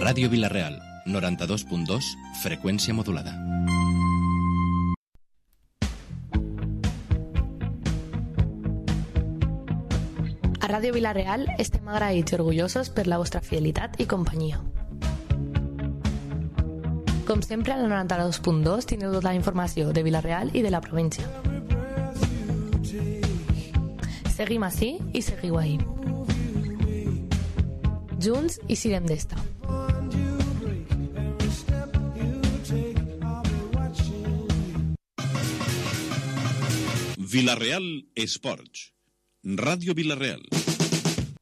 Ràdio Vila-real, 92.2, freqüència modulada. A Ràdio Vila-real estem agraïts i orgullosos per la vostra fidelitat i companyia. Com sempre, al 92.2 teniu tota la informació de Vila-real i de la província. Seguim ací i seguiu ahí. Junts i sirem d'esta. Vila-real Esports. Ràdio Vila-real.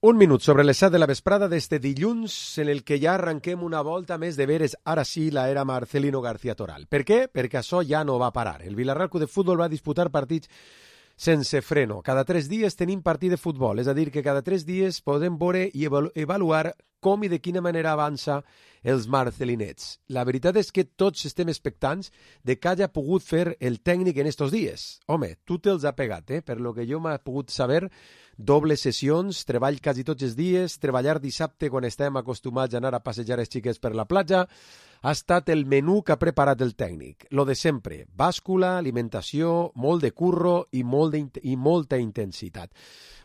Un minut sobre les 7 de la vesprada d'este dilluns en el que ja arrenquem una volta més de veres, ara sí, la era Marcelino García Toral. Per què? Perquè això ja no va parar. El Vila-real Club de Futbol va disputar partits sense freno. Cada 3 dies tenim partit de futbol, és a dir, que cada 3 dies podem veure i avaluar com i de quina manera avança els marcelinets. La veritat és que tots estem expectants de què hagi pogut fer el tècnic en estos dies. Home, tu te'ls ha pegat, per lo que jo m'ha pogut saber, dobles sessions, treball quasi tots els dies, treballar dissabte quan estem acostumats a anar a passejar els xiquets per la platja, ha estat el menú que ha preparat el tècnic. Lo de sempre, bàscula, alimentació, molt de curro i molta intensitat.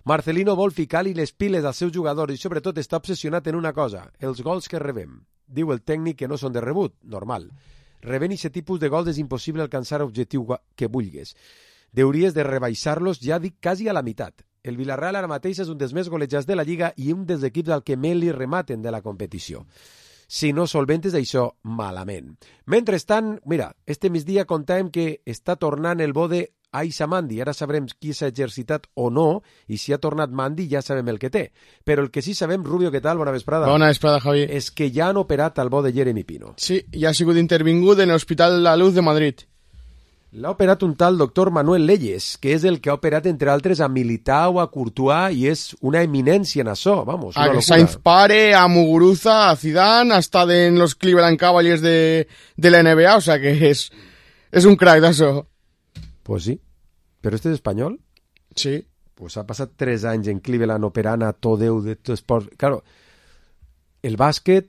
Marcelino vol ficar-li les piles als seus jugadors i sobretot està obsessionat en una cosa, els gols que rebem. Diu el tècnic que no són de rebut, normal. Rebent aquest tipus de gols és impossible alcançar l'objectiu que vulguis. Deuries de rebaixar-los, ja dic, quasi a la meitat. El Villarreal ara mateix és un dels més golejats de la Lliga i un dels equips al que més li rematen de la competició. Si no solventes això, malament. Mentrestant, mira, este migdia contàvem que està tornant el bo de Aisha Mandi. Ara sabrem qui s'ha exercitat o no, i si ha tornat Mandi ja sabem el que té. Però el que sí sabem, Rubio, què tal? Bona vesprada. Bona vesprada, Javi. És que ja han operat el bo de Jeremy Pino. Sí, ja ha sigut intervingut en l'Hospital La Luz de Madrid. L'ha operat un tal doctor Manuel Leyes, que és el que ha operat, entre altres, a Militao, a Courtois, i és una eminència en això, vamos, una locura. Sainz Pare, a Muguruza, a Zidane, ha estat en los Cleveland Cavaliers de la NBA, o sea que és un crack d'això. Pues sí, però este és espanyol? Sí. Pues ha passat 3 anys en Cleveland operant a tot Déu de tot esport. Claro, el bàsquet,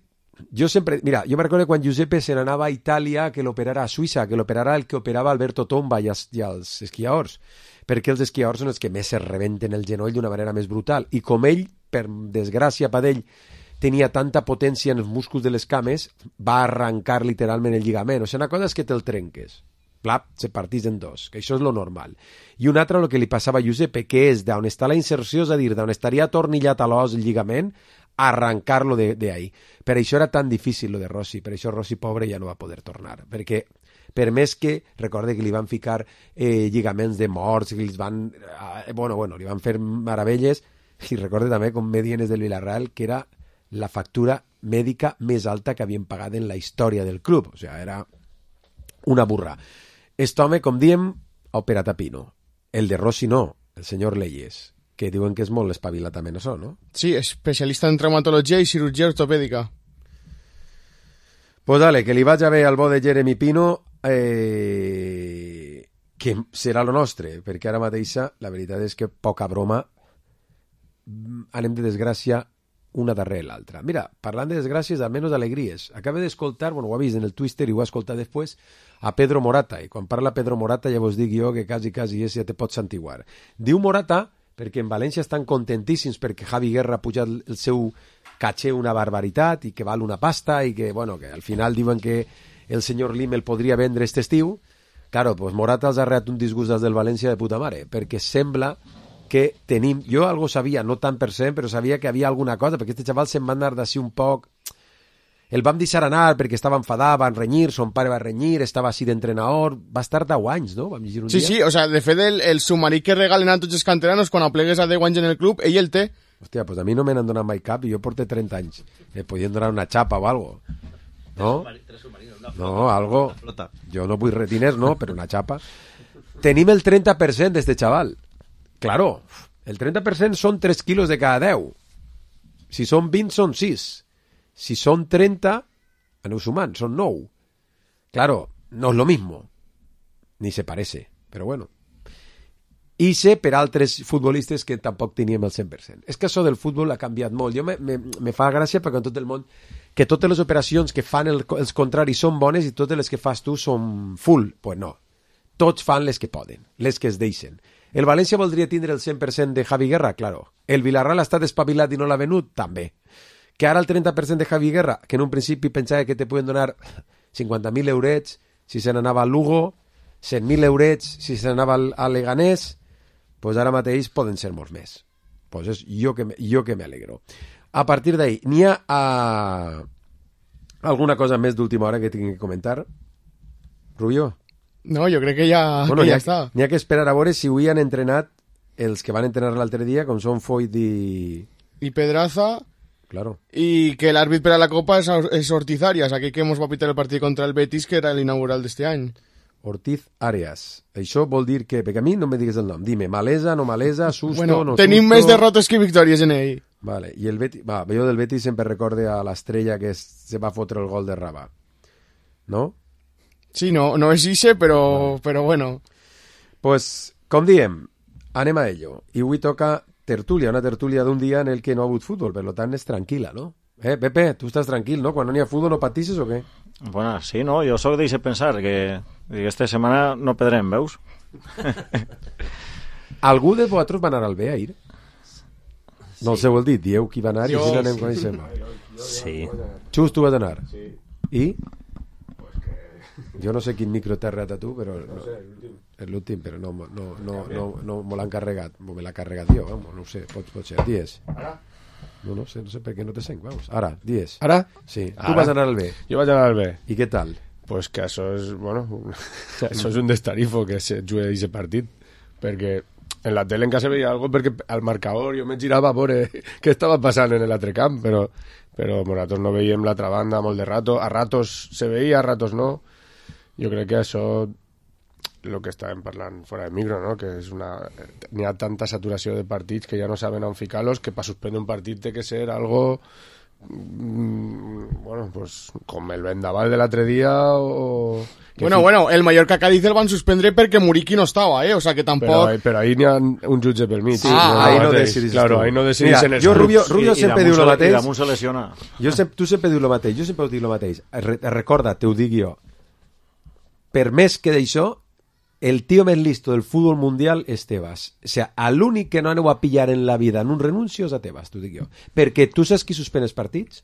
jo sempre... Mira, jo me recordo quan Giuseppe se n'anava a Itàlia que l'operara a Suïssa, que l'operara el que operava Alberto Tomba i els esquiadors, perquè els esquiadors són els que més se rebenten el genoll d'una manera més brutal. I com ell, per desgràcia per ell, tenia tanta potència en els músculs de les cames, va arrencar literalment el lligament. O sigui, una cosa és que te'l trenques. Plap, se partís en dos, que això és lo normal. I una altra, el que li passava a Giuseppe, que és d'on està la inserció, és a dir, d'on estaria atornillat a l'os el lligament, arrancar-lo d'ahí. Per això era tan difícil lo de Rossi, per això Rossi pobre ja no va poder tornar, perquè per més que, recorde que li van ficar lligaments de morts, que li van, li van fer meravelles, i recorde també com medienes del Villarreal, que era la factura mèdica més alta que havien pagat en la història del club, o sigui, era una burra. Este home, com diem, ha operat a Pino. El de Rossi no, el senyor Leyes, que diuen que és molt espavilat també en això, no? Sí, especialista en traumatologia i cirurgia ortopèdica. Pues dale, que li vaig a ver al bo de Jeremy Pino, que serà lo nostre, perquè ara mateixa la veritat és que poca broma, anem de desgràcia una darrere l'altra. Mira, parlant de desgràcies, almenys alegries. Acabo d'escoltar, ho ha vist en el Twitter i ho ha escoltat després, a Pedro Morata. I quan parla Pedro Morata ja vos dic jo que quasi ja te pots santiguar. Diu Morata, perquè en València estan contentíssims perquè Javi Guerra ha pujat el seu caché una barbaritat i que val una pasta i que, que al final diuen que el senyor Lim el podria vendre este estiu. Claro, pues Morata els ha reat un disgust des del València de puta mare, perquè sembla que tenim, jo algo sabia, no tant per cent, però sabia que havia alguna cosa, perquè este xaval se'n va anar d'ací un poc, el vam deixar anar perquè estava enfadat, van renyir, son pare va renyir, estava així d'entrenador, va estar 10 anys, no? Vam llegir un dia. Sí, o sea, de fet el submarí que regalen a tots els canteranos quan aplegues a 10 anys en el club, ell el té. Hòstia, pues a mi no me n'han donat mai cap i jo porto 30 anys. Podien donar una xapa o algo. No? No, algo. Jo no vull diners, no, però una xapa. Tenim el 30% d'este xaval. Claro, el 30% són 3 quilos de cada 10. Si són 20, són 6. Si són 30, aneu sumant, són 9. Claro, no es lo mismo. Ni se parece, però bueno. I sé per altres futbolistes que tampoc teníem el 100%. És que això del futbol ha canviat molt. Jo me fa gràcia perquè en tot el món que totes les operacions que fan els contraris són bones i totes les que fas tu són full. Pues no. Tots fan les que poden, les que es deixen. El València voldria tindre el 100% de Javi Guerra? Claro. El Villarreal ha estat espavilat i no l'ha venut? També. Que ara el 30% de Javi Guerra, que en un principi pensava que te poden donar 50.000 eurets si se n'anava al Lugo, 100.000 eurets si se n'anava al Leganés, pues ara mateix poden ser molts més. Pues és jo que m'alegro. A partir d'ahí, n'hi ha alguna cosa més d'última hora que tinc que comentar? Rubio? No, jo crec que ja està. N'hi ha que esperar a veure si avui han entrenat els que van entrenar l'altre dia, com són Foyt i Pedraza. Claro. Y que el árbitro para la Copa es Ortiz Arias, aquí que hemos va a pitar el partido contra el Betis, que era el inaugural de este any. Ortiz Arias. Això vol dir que, perquè a mi no me digues el nom, dime, malesa, no malesa, susto, bueno, no tenim susto... més derrotes que victòries en ell. Vale, i el Betis, jo del Betis sempre recorde a l'estrella que se va fotre el gol de Rabà. No? Sí, no és ixe, però bueno. Pues, com diem, anem a ello. I avui toca tertúlia, una tertúlia d'un dia en el que no ha hagut futbol, per tant és tranquil·la, no? Pepe, tu estàs tranquil, no? Quan no n'hi ha futbol no patisses o què? Bueno, sí, no? Jo soc d'eixe pensar que aquesta setmana no perdrem, veus? Algú de vosaltres va anar al B ahir? Sí. No els heu dit, dieu qui va anar i si n'anem coneixent. Sí. Xus, tu vas anar? Sí. I? Jo no sé quin micro t'ha regat a tu, però... No sé, l'últim, però no me l'han carregat. Me l'ha carregat jo, vamos, no ho sé, pot ser. Dies. Ara? No sé per què no te sent, vamos. Ara, dies. Ara? Sí. Tu vas anar al B. Jo vaig anar al B. I què tal? Pues que això és, bueno, això és un destarifo que se jugui aquest partit, perquè en la tele en casa veia algo perquè al marcador jo me girava a veure què estava passant en l'altre camp, però nosaltres no veiem l'altra banda molt de rato, a ratos se veia, a ratos no. Jo crec que això el que estàvem parlant fora de micro, no? Que és n'hi ha tanta saturació de partits que ja no saben on ficar-los, que per suspendre un partit té que ser algo bueno, pues com el vendaval de l'altre dia o... Bueno, el Mallorca-Cádiz el van suspendre perquè Muriqui no estava, o sea que tampoc... Però ahí n'hi ha un jutge pel mig. Sí, ahí no decidís. Claro, ahí no decidís en els jo, Rubio sempre diu el mateix. I damunt se lesiona. Tu sempre dius el mateix, jo sempre dic el mateix. Recorda, te ho dic jo. Per més que d'això, el tio més listo del futbol mundial és Tebas. O sea, l'únic que no aneu a pillar en la vida en un renuncio és a Tebas, t'ho dic jo. Perquè tu saps qui suspèn els partits?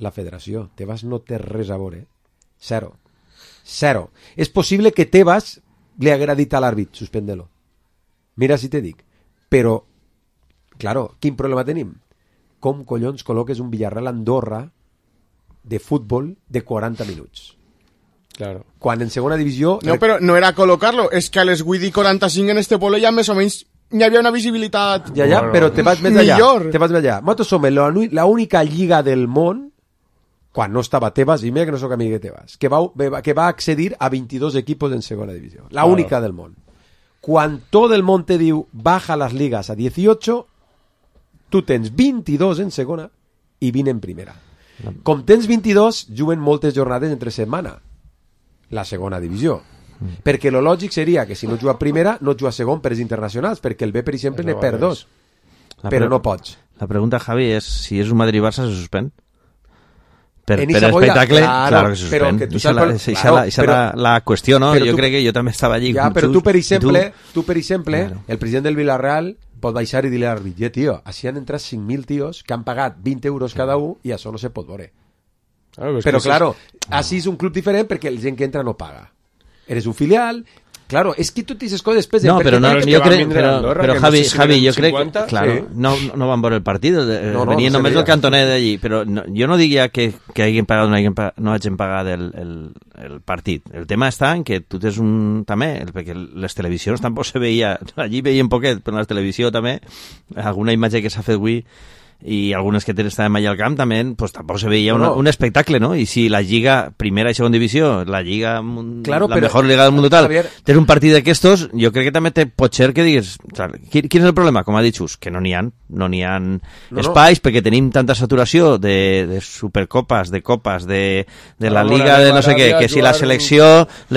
La federació. Tebas no té res a veure. Zero. És possible que Tebas li haguera dit a l'àrbit, suspèndelo. Mira si te dic. Però, claro, quin problema tenim? Com collons col·loques un Villarreal Andorra de futbol de 40 minuts? Claro. Quan en segona divisió... No, però no era col·locar-lo, és que a les 8 i 45 en este pueblo ja més o menys hi havia una visibilitat... Ja, però te vas més allà. Millor. Te vas més allà. Nosaltres som la única lliga del món, quan no estava Tebas, i mira que no soc amic de Tebas, que va accedir a 22 equipos en segona divisió. La única del món. Quan tot el món te diu baja les ligas a 18, tu tens 22 en segona i 20 en primera. Com tens 22, juguen moltes jornades entre setmana. La segona divisió. Perquè lo lògic seria que si no juga primera, no juga segon per els internacionals, perquè el B, per exemple, ne perd 2. Però no pots. La pregunta, Javi, és si és un Madrid-Barça se suspèn. Per claro, espectacle, claro que se suspèn. Això és la qüestió, no? Jo crec que jo també estava allí. Ja, però tu, per exemple, el president del Villarreal pot baixar i dir-li a l'àrbit, tio, així han entrat 5.000 tios que han pagat 20 euros cada un i això no se pot veure. Però, claro, així és un club diferent perquè la gent que entra no paga. Eres un filial... Claro, és que tu t'hices coses després... No, però jo crec... Però Javi, jo crec... Claro, no van veure el partit, venien només el cantoner d'allí, però jo no diria que hagin pagat o no hagin pagat el partit. El tema està en que tu tens un... també, perquè les televisions tampoc se veia... Allí veien poquet, però en la televisió també, alguna imatge que s'ha fet avui i algunes que estàvem allà al camp també, pues tampoc se veia un espectacle, no? I si la Lliga, primera i segona divisió, la Lliga, la mejor Liga del món total, tens un partit d'aquestos, jo crec que també pot ser que digues, quin és el problema? Com ha dit Xus, que no n'hi ha espais, perquè tenim tanta saturació de supercopes, de copes, de la Liga de no sé què, que si les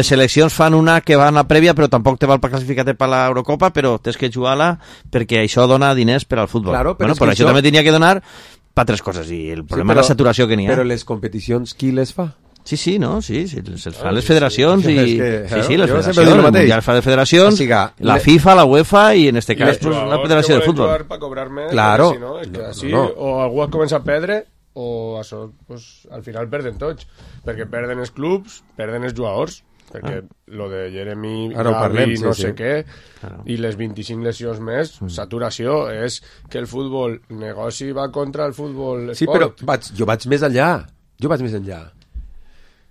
seleccions fan una que va a una prèvia, però tampoc te val per classificar-te per l'Eurocopa, però tens que jugar-la perquè això dona diners per al futbol. Bueno, per això també tenia que donar per altres coses, i el problema és la saturació que n'hi ha. Però les competicions, qui les fa? Sí, no, se'ls fan les federacions i... les federacions, el Mundial fa de federacions, la FIFA, la UEFA i en este cas la Federació de Futbol. Per cobrar més, claro. Si no, és que així, o algú es comença a perdre o això, pues, al final perden tots, perquè perden els clubs, perden els jugadors, perquè lo de Jeremy, Gavi, no sé què, i les 25 lesions més, saturació, és que el futbol negoci va contra el futbol esport. Sí, però jo vaig més enllà.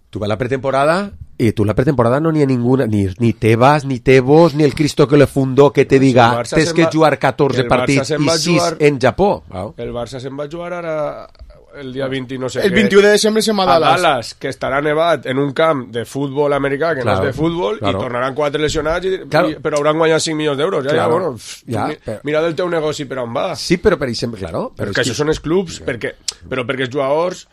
Tu vas a la pretemporada i tu la pretemporada no n'hi ha ninguna, ni Tebas, ni Tebos, ni el Cristo que le fundó que te diga tens que jugar 14 partits i 6 en Japó. El Barça se'n va jugar ara el dia 20 no sé el 21 de desembre se'n va a Dallas, que estarà nevat en un camp de futbol americà que no és de futbol, i tornaran 4 lesionats però hauran guanyat 5 milions d'euros. Mira del teu negoci per on va. Sí, però per exemple, però que això són els clubs, perquè els jugadors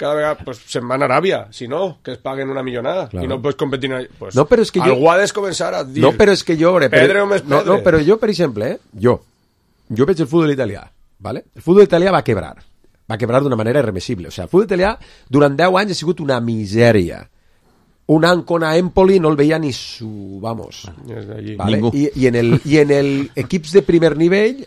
cada vegada pues, se'n van a Aràbia, si no, que es paguen una millonada i no pots competir pues, no, però és que algú ha de començar a dir però és que jo pedre o més pedre. No, però jo, per exemple, jo veig el futbol italià, ¿vale? El futbol italià va quebrar d'una manera irreversible. O sigui, el futbol italià durant 10 anys ha sigut una misèria. Un Ancona Empoli no el veia ni su... Vamos. ¿Vale? Ningú. I en el equips de primer nivell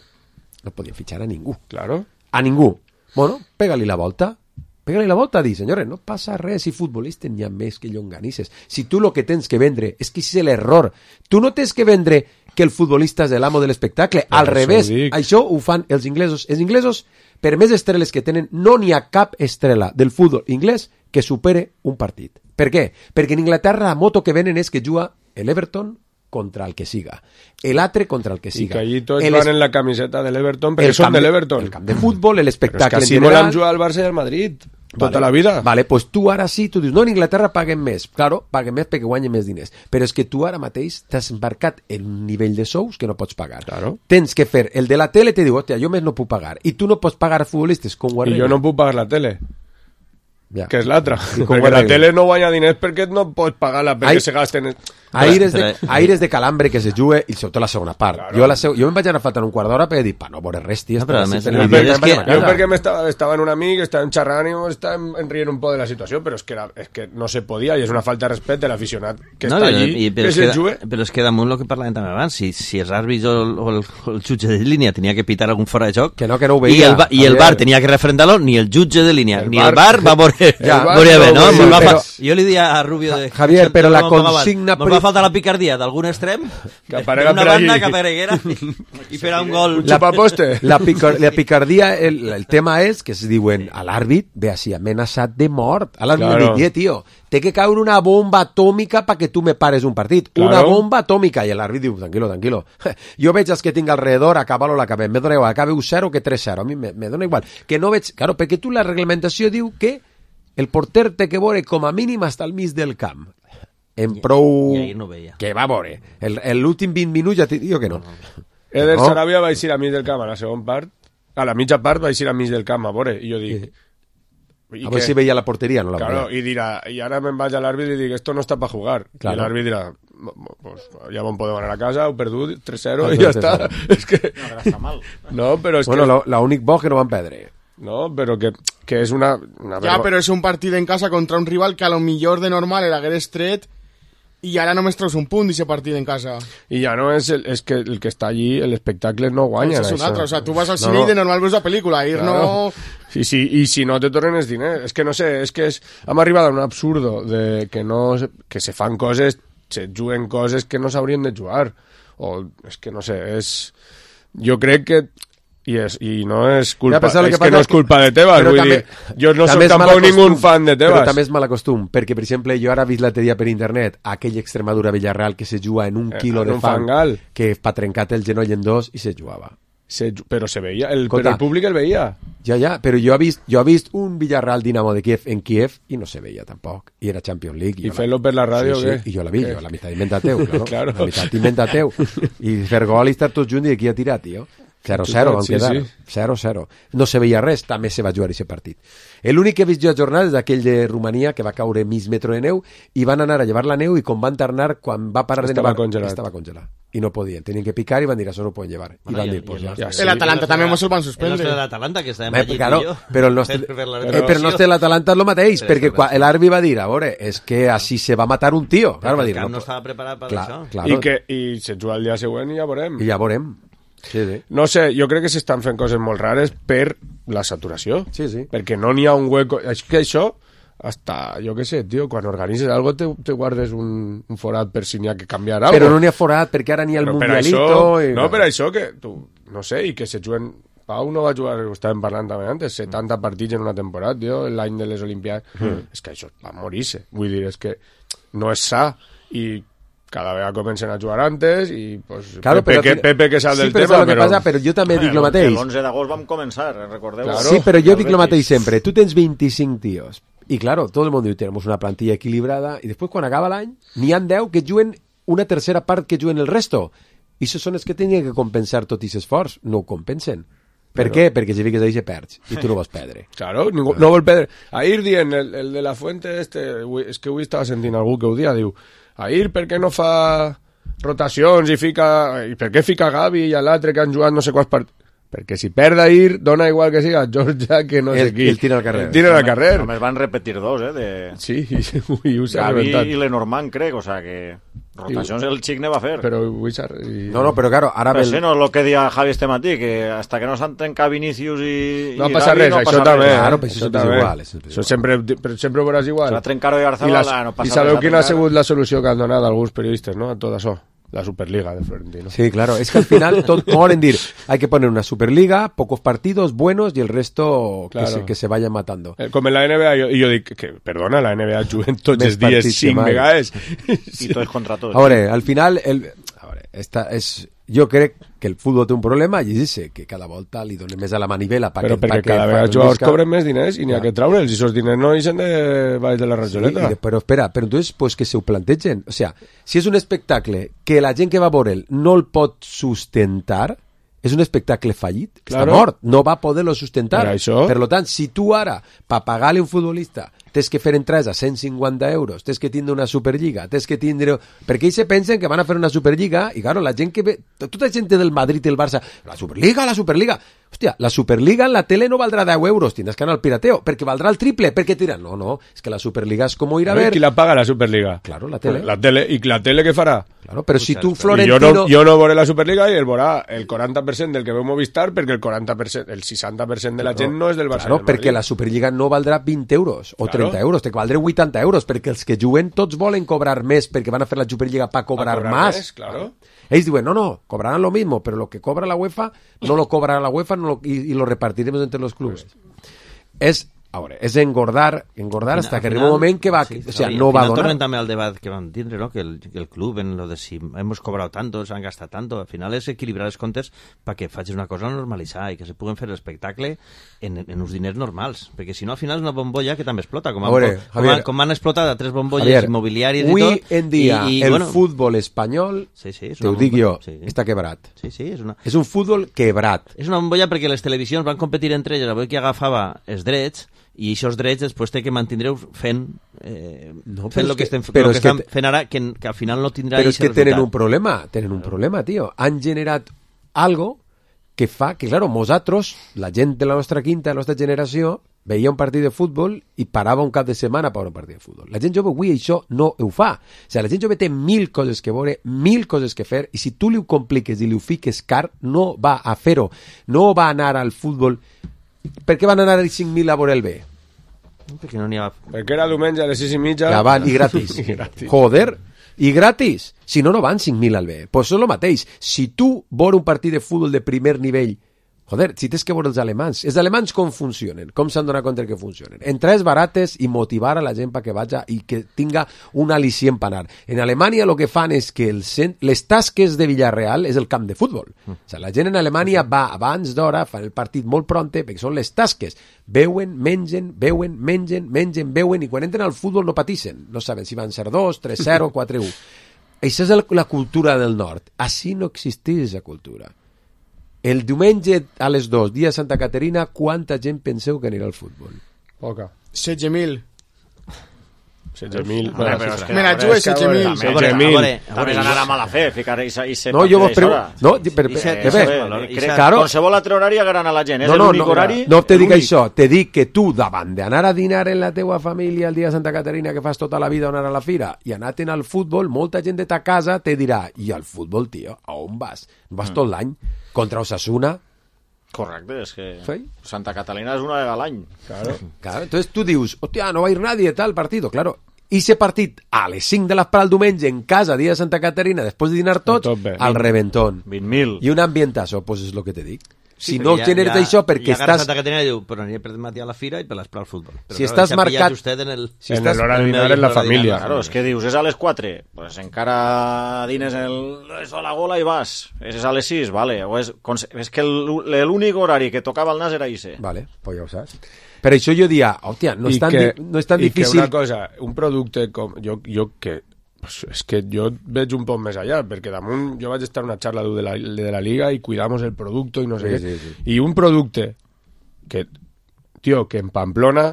no podien fitxar a ningú. Claro. A ningú. Bueno, pega-li la volta. Pega-li la volta, di, senyores, no passa res, si futbolistes n'hi ha més que llonganisses. Si tu el que tens que vendre, és que és l'error. Tu no tens que vendre que el futbolista és l'amo de l'espectacle, al revés. Això ho fan els inglesos. Els inglesos, per més estreles que tenen, no n'hi ha cap estrela del futbol inglès que supere un partit. Per què? Perquè en Inglaterra la moto que venen és que juga l'Everton contra el que siga, l'altre contra el que siga. I que allí tots van en la camiseta de l'Everton perquè són de l'Everton. El camp de futbol, l'espectacle en general. Però és que així volen jugar al Barça i al Madrid tota la vida. Vale, pues tu ara sí, tu dius, no, en Inglaterra paguen més. Claro, paguen més perquè guanyen més diners. Però és que tu ara mateix t'has embarcat en un nivell de sous que no pots pagar. Claro. Tens que fer, el de la tele te diu, hòstia, jo més no puc pagar. I tu no pots pagar a futbolistes com Guardiola. I jo no puc pagar la tele. Ja. Que és l'altra. Perquè la tele no guanya diners perquè no pots pagar-la perquè se gasten... Aires de calambre que se juga i sobretot la segona part. Claro. Jo me'n vaig anar faltant un quart d'hora per dir, no veure res, tia. Jo perquè estava en un amic, estàvem xerrant i estàvem rient un poc de la situació, però és que no se podia i és una falta de respecte de l'aficionat que està allí, que se juga. Però és que damunt el que parlàvem també abans, si els àrbits o el jutge de línia tenia que pitar algun fora de joc que no ho veia, i el VAR tenia que refrendar-lo, ni el jutge de línia ni el VAR va veure bé, no? Jo li diia a Rubio de Javier, però la consigna... Nos va faltar la picardia d'algun extrem, d'una banda que apareguera i fer un gol. La picardia, el tema és que es diuen a l'àrbit, ve així, amenaçat de mort. A l'àrbit li tio, té que caure una bomba atòmica perquè tu me pares un partit. Una bomba atòmica. I l'àrbit diu, tranquilo. Jo veig els que tinc alrededor, acaba-lo l'acabem. Me dona igual, acabe 1-0 que 3-0. A mi me dona igual. Que no veig... Claro, perquè tu la reglamentació diu que el porter té que veure com a mínim hasta el mig del camp. En prou... I ahir no veia. Que va veure. L'últim 20 minuts ja t'hi dic que no. Eder Sarabia va eixir a mig del camp a la segona part. A la mitja part va eixir a mig del camp, a veure. I jo dic... A veure si veia la porteria, no la veia. Claro, i dirà... I ara me'n vaig a l'àrbit i dic, esto no està per jugar. Claro. I l'àrbit dirà... Pues ja vam poder anar a casa, heu perdut 3-0 i ja està. És que... No, que està mal. No, però és bueno, l'únic bo que no van perdre. No, però que és una ja, però és un partit en casa contra un rival que a lo millor de normal l'hagués tret i ara només treus un punt d'aquest partit en casa. I ja no és que el que està allí, l'espectacle no guanya. És un altre, o sea, tu vas al cine i de normal veus la pel·lícula, ahir no... Sí, i si no te tornen els diners. És que no sé, hem arribat a un absurdo de que se fan coses, se juguen coses que no s'haurien de jugar. O és que no sé, jo crec que i no és culpa, és que no és culpa de Tebas, vull dir, jo no soc tampoc ningú fan de Tebas. Però també és mal acostum, perquè, per exemple, jo ara he vist l'altre dia per internet aquell Extremadura-Villarreal que se juga en un quilo de fang, que pa trencat el genoll en dos i se jugava. Però se veia, però el públic el veia. Ja, però jo he vist un Villarreal-Dinamo de Kiev en Kiev i no se veia tampoc, i era Champions League. I fent-lo per la ràdio, sí, i jo la vi, la meitat inventa teu, claro. La meitat inventa teu. I fer gol i estar tots junts i aquí a tirar, tio. 0-0 van quedar, 0-0. No se veia res, també se va jugar aquest partit. L'únic que he vist jo a jornada és aquell de Romania que va caure mig metro de neu i van anar a llevar la neu i com van tornar, quan va parar de nevar, estava congelat. i no podien, tenien que picar i van dir, això no ho poden llevar. I van dir, pues ja. El Atalanta també mos el van suspendre. El nostre de l'Atalanta, que estàvem allí claro, tu i jo. Però el nostre de l'Atalanta és el mateix, perquè l'àrbitre va dir, a veure, és que així se va matar un tio. Clar, va dir, no estava preparat per això. Claro. I se juga el dia següent i ja veurem. Sí. No sé, jo crec que s'estan fent coses molt rares per la saturació. Sí. Perquè no n'hi ha un hueco... És que això... Hasta, jo què sé, tio, quan organitzes algo te guardes un forat per si n'hi ha que canviar algo. Però no n'hi ha forat, perquè ara n'hi ha el Mundialito... No, per això que, no sé, i que se juguen... Pau no va jugar, ho estàvem parlant també antes, 70 partits en una temporada, tio, l'any de les Olimpiades. És que això va morir-se. Vull dir, és que no és sa. I cada vegada comencen a jugar antes i pues, claro, Pepe que sap del tema, però jo també dic el mateix. L'11 d'agost vam començar, recordeu? Claro, sí, però jo dic el mateix sempre. Tu tens 25 tios. Y claro, todo el mundo diu, tenemos una plantilla equilibrada, y después quan acaba l'any, n'hi ha 10 que juguen una tercera part que juguen el resto. I això són els que tenien que compensar tot aquest esforç. No ho compensen. Per què? Perquè si fiques ahí se perds, i tu no vas perdre. Claro, no vol perdre. Ahir dient, el de la Fuente, és que avui estava sentint algú que ho dia, diu, Ahir per què no fa rotacions i per què fica Gavi i l'altre que han jugat no sé quants partits? Perquè si perd Ahir, dona igual que siga Georgia que no sé qui. El tira al carrer. El tira al carrer. Només van repetir dos, Sí, i ho s'ha Gavi rebentat. i Lenormand, crec, o sea que... Rotacions el xic ne va fer. Però No, però claro, ara... Però sí, no és el que dia Javi este matí, que hasta que no s'entrenca Vinícius i no passa res, això també. Claro, però això és igual. Això sempre ho veuràs igual. Se va trencar de Garzabala, no passa res. I sabeu quina ha sigut la solució que han donat alguns periodistes, no?, a tot això? La Superliga de Florentino. Sí, claro, es que al final todo en dir, hay que poner una Superliga, pocos partidos buenos y el resto claro. que se vayan matando. Com en la NBA, jo dic que, perdona, la NBA juguen tots els dies 5 vegades. I tots contra tots. A veure, al final, jo crec que el futbol té un problema i dice que cada volta li donen més a la manivela però perquè cada vegada els jugadors cobren més diners i n'hi ha que traure'ls i esos diners no ixen de baix de la rajoleta. Sí, però espera, però entonces pues que se ho plantegen, o sea, si és un espectacle que la gent que va a veure'l no el pot sustentar, és un espectacle fallit, claro. Està mort, no va poder-lo sustentar. Per lo tant, si tu ara, per pagar-li un futbolista, tens que fer entrades a 150 euros, tens que tindre una Superliga, tens que tindre... Perquè ells se pensen que van a fer una Superliga i, claro, la gent que ve... Tota la gent del Madrid i el Barça, la Superliga... Hòstia, la Superliga en la tele no valdrà 10 euros, tindràs que anar al pirateo, perquè valdrà el triple, perquè tiran... No, és que la Superliga és com ir a ver... Qui la paga, la Superliga? Claro, la tele. I la tele què farà? Claro, però si tu, Florentino... Jo no veuré la Superliga i el veurà el 40% del que veu Movistar, perquè el 60% de la gent no és del Barça. Claro, perquè la Superliga no valdrà 20 euros o 30 euros, té que valdrà 80 euros, perquè els que juguen tots volen cobrar més, perquè van a fer la Superliga per cobrar més. Claro. Ells diuen, no, cobrarán lo mismo, pero lo que cobra la UEFA, no lo cobrará la UEFA y lo repartiremos entre los clubes. És engordar hasta que arriba un moment que va, o sea, no va a donar. Tornem també al debat que vam tindre, ¿no? Que el club, en lo de si hemos cobrado tanto, se han gastado tanto, al final és equilibrar els comptes perquè facis una cosa normalitzada i que se puguen fer l'espectacle en uns diners normals, perquè si no al final és una bombolla que també explota, com han explotat a 3 bombolles immobiliàries i tot. Avui en dia el futbol espanyol, te ho dic jo, està quebrat. És un futbol quebrat. És una bombolla perquè les televisions van competir entre elles, avui que agafava els drets, i aquests drets després té que mantindreu fent el que estan fent ara, que al final no tindrà però és que tenen un problema, tio. Han generat algo que fa que, claro, nosaltres, la gent de la nostra quinta, de la nostra generació, veia un partit de futbol i parava un cap de setmana per un partit de futbol. La gent jove avui això no ho fa. O sigui, la gent jove té 1000 coses que veure, 1000 coses que fer, i si tu li ho compliques i li ho fiques car, no va a fer-ho. No va anar al futbol. Per què van anar els 5.000 a veure el B? Perquè no n'hi ha... Perquè era diumenge a les 6:30. Ja van, i gratis. Joder, i gratis. Si no, no van 5.000 al B. Pues és el mateix. Si tu veure un partit de futbol de primer nivell, joder, si tens que veure els alemanys com funcionen, com s'han donat compte que funcionen. Entrades barates i motivar a la gent perquè vagi i que tinga un al·licient per anar. En Alemanya el que fan és que les tasques de Villarreal és el camp de futbol. O sigui, la gent en Alemanya va abans d'hora, fan el partit molt pronte, perquè són les tasques. Veuen, mengen, i quan entren al futbol no patixen. No saben si van ser 2, 3-0, 4-1. Això és la cultura del nord. Així no existeix aquesta cultura. El diumenge a les 2, dia de Santa Caterina, quanta gent penseu que anirà al futbol? Poca. 16.000. 16.000. Me la jugué 16.000. 16.000. També anar a mala fe, ficar i ser no, jo vos pregunto... Claro. Qualsevol altre horari agarran a la gent. És l'únic horari... No te dic això, te dic que tu, davant d'anar a dinar en la teua família el dia de Santa Caterina, que fas tota la vida anar a la fira, i anar-te'n al futbol, molta gent de ta casa te dirà, i al futbol, tio, a on vas? Vas tot l'any? Contra Osasuna? Correcte, és que Santa Catalina és una vegada a l'any. Claro. Entonces tú dius, hostia, no va a ir nadie tal partido, claro. I ese partit a les 5 de l'esprà el diumenge en casa, dia de Santa Caterina, després de dinar tots, al reventón. 20.000. I un ambientazo, pues és lo que te dic. Si no generes això perquè estàs... Santa Caterina diu, però aniré per matí a la fira i per l'esprà al futbol. Però, si estàs marcat... En l'hora de dinar en la família. Claro, és que dius, és a les 4, pues encara dines a la gola i vas. És a les 6, vale. O és que l'únic horari que tocava el nas era ese. Vale, pues ja ho saps. Per això jo dia, hòstia, no és tan difícil... I que una cosa, un producte com... Jo que... És que jo veig un poc més allà, perquè damunt jo vaig estar en una xarra de la Liga i cuidamos el producto i no sé què. Sí. I un producte que, tio, que en Pamplona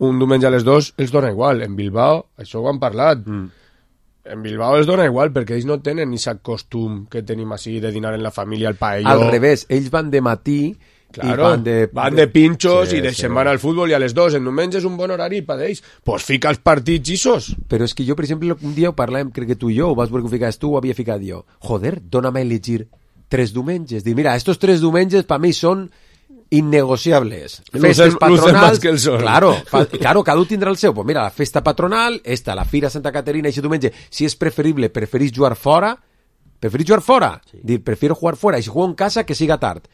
un diumenge a les 2 els dona igual. En Bilbao, això ho han parlat. En Bilbao els dona igual perquè ells no tenen aquest costum que tenim així de dinar en la família, el paelló. Al revés, ells van de matí... Claro, van de pinchos i se'n van al futbol i a les 2 en diumenge és un bon horari per ells, pues fica els partits isos. Però és que jo, per exemple, un dia ho parlàvem, crec que tu i jo, ho vas veure que ho ficaves tu, ho havia ficat jo. Joder, dóna'm a elegir 3 diumenges. Dir, mira, estos 3 diumenges per mi són innegociables. Festes patronals, que el sol. Claro, cada un tindrà el seu. Pues mira, la festa patronal, la Fira Santa Caterina, aquest diumenge, si és preferible, preferís jugar fora? Sí. Dir, prefiero jugar fora, i si juego en casa, que siga tard.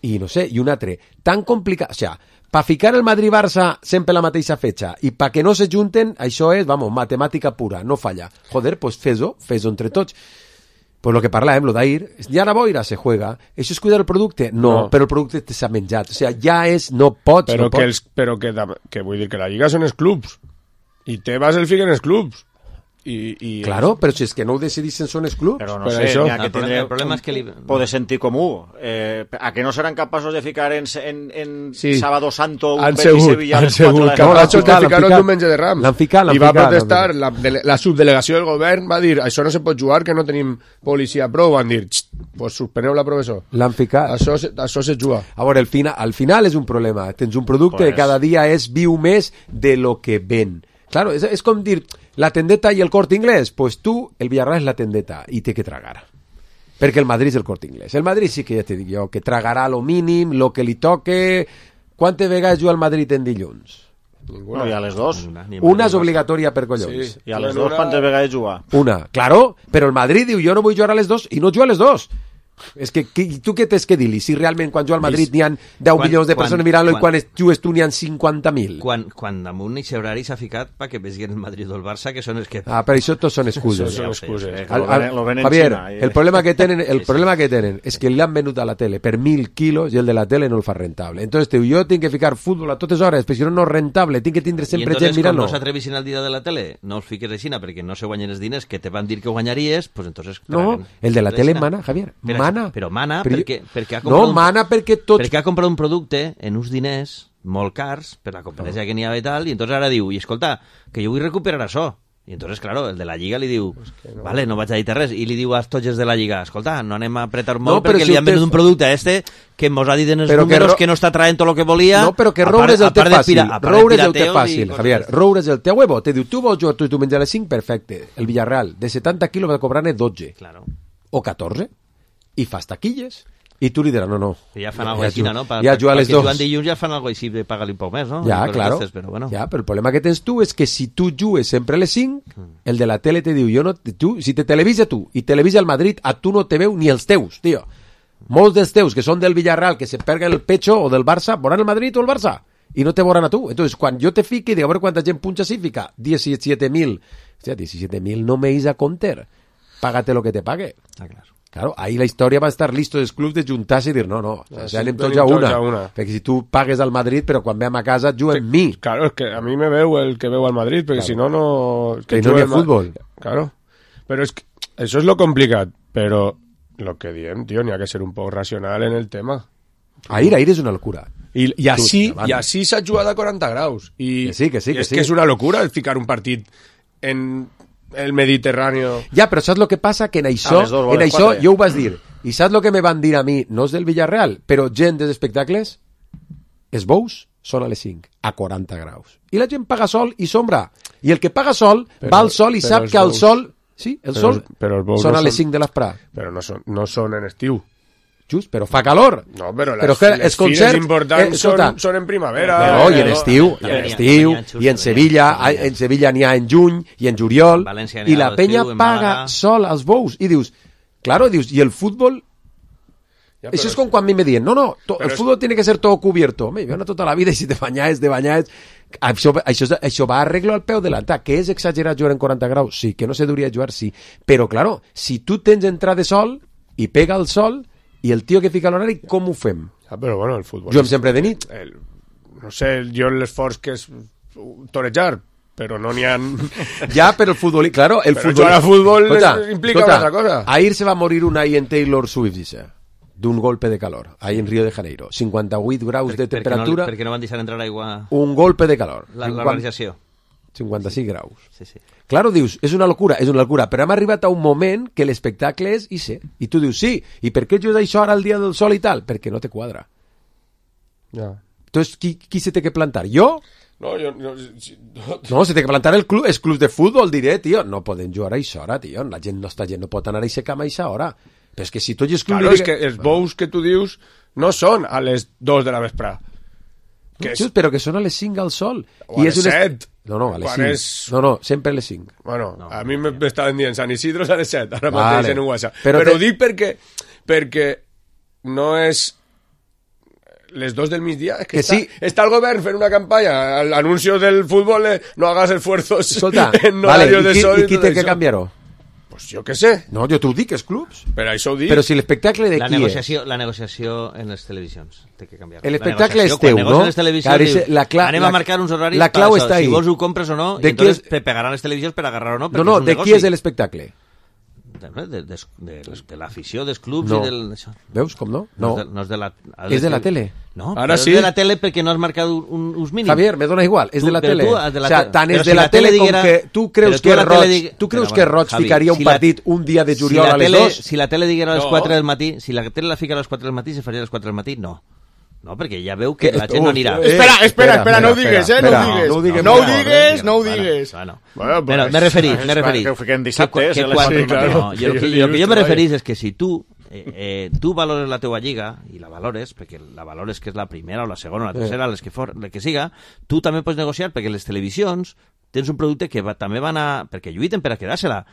I no sé, i un altre, tan complicat, o sea, pa ficar el Madrid-Barça sempre la mateixa fetxa, i pa que no se junten, això és, vamos, matemàtica pura, no falla. Joder, pues fes-ho entre tots. Pues lo que parlàvem, lo d'ahir, ja la boira se juega. Això és cuidar el producte? No, però el producte s'ha menjat. O sea, ja és, no pots, però que vull dir que la Lliga són els clubs, i Tebas el fiquen els clubs. Claro, però si és que no ho decidissin són els clubs. Però no sé, això. El problema és que pot sentir comú. A que no seran capaços de ficar en Sábado Santo un Betis Sevilla a les 4 de la capaços de ficar un diumenge de Rams. L'han ficat. I va protestar, la subdelegació del govern va dir, això no se pot jugar, que no tenim policia prou. Van dir, pues suspeneu la professor. L'han ficat. Això se juga. A veure, al final és un problema. Tens un producte que cada dia viu més de lo que ven. Claro, és com dir, la tendeta i el Corte Inglés, pues tu, el Villarreal és la tendeta, i té que tragar. Perquè el Madrid és el Corte Inglés. El Madrid sí que ja te dic jo, que tragarà lo mínim, lo que li toque... Quantes vegades juga el Madrid en dilluns? Ninguna. No, i a les 2. Una és obligatòria per collons. Sí. I a les 2 quantes vegades juga? Una, claro, però el Madrid diu, jo no vull jugar a les 2, i no juga a les 2. És que tu què tens que dir-li? Si realment quan juga al Madrid n'hi ha 10 milions de persones mirant-lo i quan jugues tu n'hi ha 50.000. Quan damunt i horari s'ha ficat perquè vegin el Madrid o el Barça, que són els que... Per això tots són excuses. Javier, el problema que tenen és que l'han venut a la tele per 1.000 quilos i el de la tele no el fa rentable. Entonces jo tinc que ficar futbol a totes hores, perquè si no és rentable, tinc que tindre sempre gent mirant-lo. I entonces, quan no s'atrevissin al dia de la tele, no els fiques així perquè no se guanyen els diners que te van dir que guanyaries, pues entonces... No, el de la tele mana, Javier, però mana perquè ha comprat perquè ha comprat un producte en uns diners molt cars per la competència que n'hi ha i tal, i entonces ara diu, i escolta, que jo vull recuperar això. I entonces, claro, el de la Lliga li diu, vale, no vaig a dir res, i li diu als tots de la Lliga, escolta, no anem a apretar molt perquè li han venut un producte a que mos ha dit en els números que no està traient tot el que volia. No, però que roure és el té fàcil, Javier. Roure és el té huevo. Te diu, tu vols jugar tu diumenge a les 5? Perfecte. El Villarreal, de 70 quilos va cobrar-ne 12. O 14. I fas taquilles i tu li diràs, no. Ja fan alguna cosa així, no? Ja juga a les 2. Perquè jugant dilluns ja fan alguna cosa així de pagar-li un poc més, no? Ja, claro. Però el problema que tens tu és que si tu jugues sempre a les 5, el de la tele te diu, si te televisa tu i televisa el Madrid, a tu no te veu ni els teus, tio. Molts dels teus que són del Villarreal, que se perguen el pecho, o del Barça, veuran el Madrid o el Barça, i no te veuran a tu. Entonces, quan jo te fiqui, dic, a veure quanta gent punxa si fica 17.000. Hòstia, 17.000 no me is a compter. Págate lo que te pague. Claro, ahí la història va estar listo dels clubs de juntar-se i dir, no, anem tots a una. Perquè si tu pagues al Madrid, però quan vam a casa juga en mi. Claro, és que a mi me veu el que veu al Madrid, perquè si no, no... Que no hi ha futbol. Claro, però és que això és lo complicat, però lo que diem, tio, n'hi ha que ser un poc racional en el tema. Ahir és una locura. I així s'ha jugat a 40 graus. I que sí. És que és una locura el ficar un partit en el Mediterrani. Ja, però saps el que passa? Que en això jo ho vas dir. I saps el que me van dir a mi? No és del Villarreal, però gent dels espectacles, els bous són a les 5, a 40 graus. I la gent paga sol i sombra. I el que paga sol va al sol i sap que el sol... Sí, el sol són a les 5 de l'esprà. Però no són en estiu. Just, però fa calor. No, però les fires importants són en primavera. No, i en estiu, i en Sevilla n'hi ha en juny i en juliol, i la penya paga sol als bous. I dius, i el futbol... Això és com quan a mi me diuen, el fútbol tiene que ser todo cubierto. Home, jo no tota la vida, i si te banyes, això va a arreglo al peu de l'altar. Que és exagerat jugar en 40 graus? Sí. Que no se hauria de jugar? Sí. Però, claro, si tu tens entrada de sol i pega el sol i el tio que fica l'horari, com ho fem? Però bueno, el futbol... Juguem sempre de nit? No sé, jo l'esforç que és torejar, però no n'hi ha... Ja, però el futbol... Claro, el futbol... Jugar a futbol implica una altra cosa. Ahir se va morir una ahí en Taylor Swift, dice, d'un golpe de calor, ahí en Río de Janeiro. 58 graus de temperatura... Perquè no van deixar entrar aigua... Un golpe de calor. L'organització. 56 graus. Sí. Claro, dius, és una locura, però hem arribat a un moment que l'espectacle és i tu dius, sí, i per què jugues això ara al dia del sol i tal? Perquè no te quadra. Ja. Entonces, qui se té que plantar? Jo? No, se té que plantar els clubs de futbol, diré, tio, no poden jugar a això hora, tio, la gent no pot anar a aquesta cama a aquesta hora. Però és que si tots els clubs... Claro, és que els bous que tu dius no són a les 2 de la vesprà. Però que són a les 5 al sol. O a les 7. No, a les 5. No, sempre a les 5. Bueno, a mi m'estaven dient Sant Isidro a les 7, ara mateix en un WhatsApp. Però ho dic perquè no és les 2 del migdia, és que està el govern fent una campanya, l'anuncio del futbol, no hagas esfuerzos en horarios de sol. I qui té que canviar-ho? Pues jo què sé. No, jo t'ho dic, els clubs. Però això ho dic. Però si l'espectacle de qui és? La negociació en les televisions té que canviar. L'espectacle és teu, no? Anem a marcar uns horaris. La clau està ahí. Si vols ho compres o no, i entonces te pegaran les televisions per agarrar o no. No, de qui és l'espectacle? De l'afició, dels clubs i del... Veus com no? No. No és de la... És de la tele. No, ara sí. És de la tele perquè no has marcat uns mínims. Javier, me dona igual, és de la tele. O sea, tant és de la tele com que tu creus que Roig ficaria un partit un dia de juliol a les 2? Si la tele diguera a les 4 del matí, si la tele la fica a les 4 del matí, se faria a les 4 del matí? No. No, perquè ja veu que la gent no anirà. Espera, no ho digues, no ho digues. Bueno, m'he referit. Que ho fiquem dissabte. El que jo m'he referit és que si tu valores la teua lliga, i la valores, perquè la valores que és la primera o la segona o la tercera, les que siga, tu també pots negociar, perquè les televisions tens un producte que també van a... perquè lluiten per a quedar-se-la.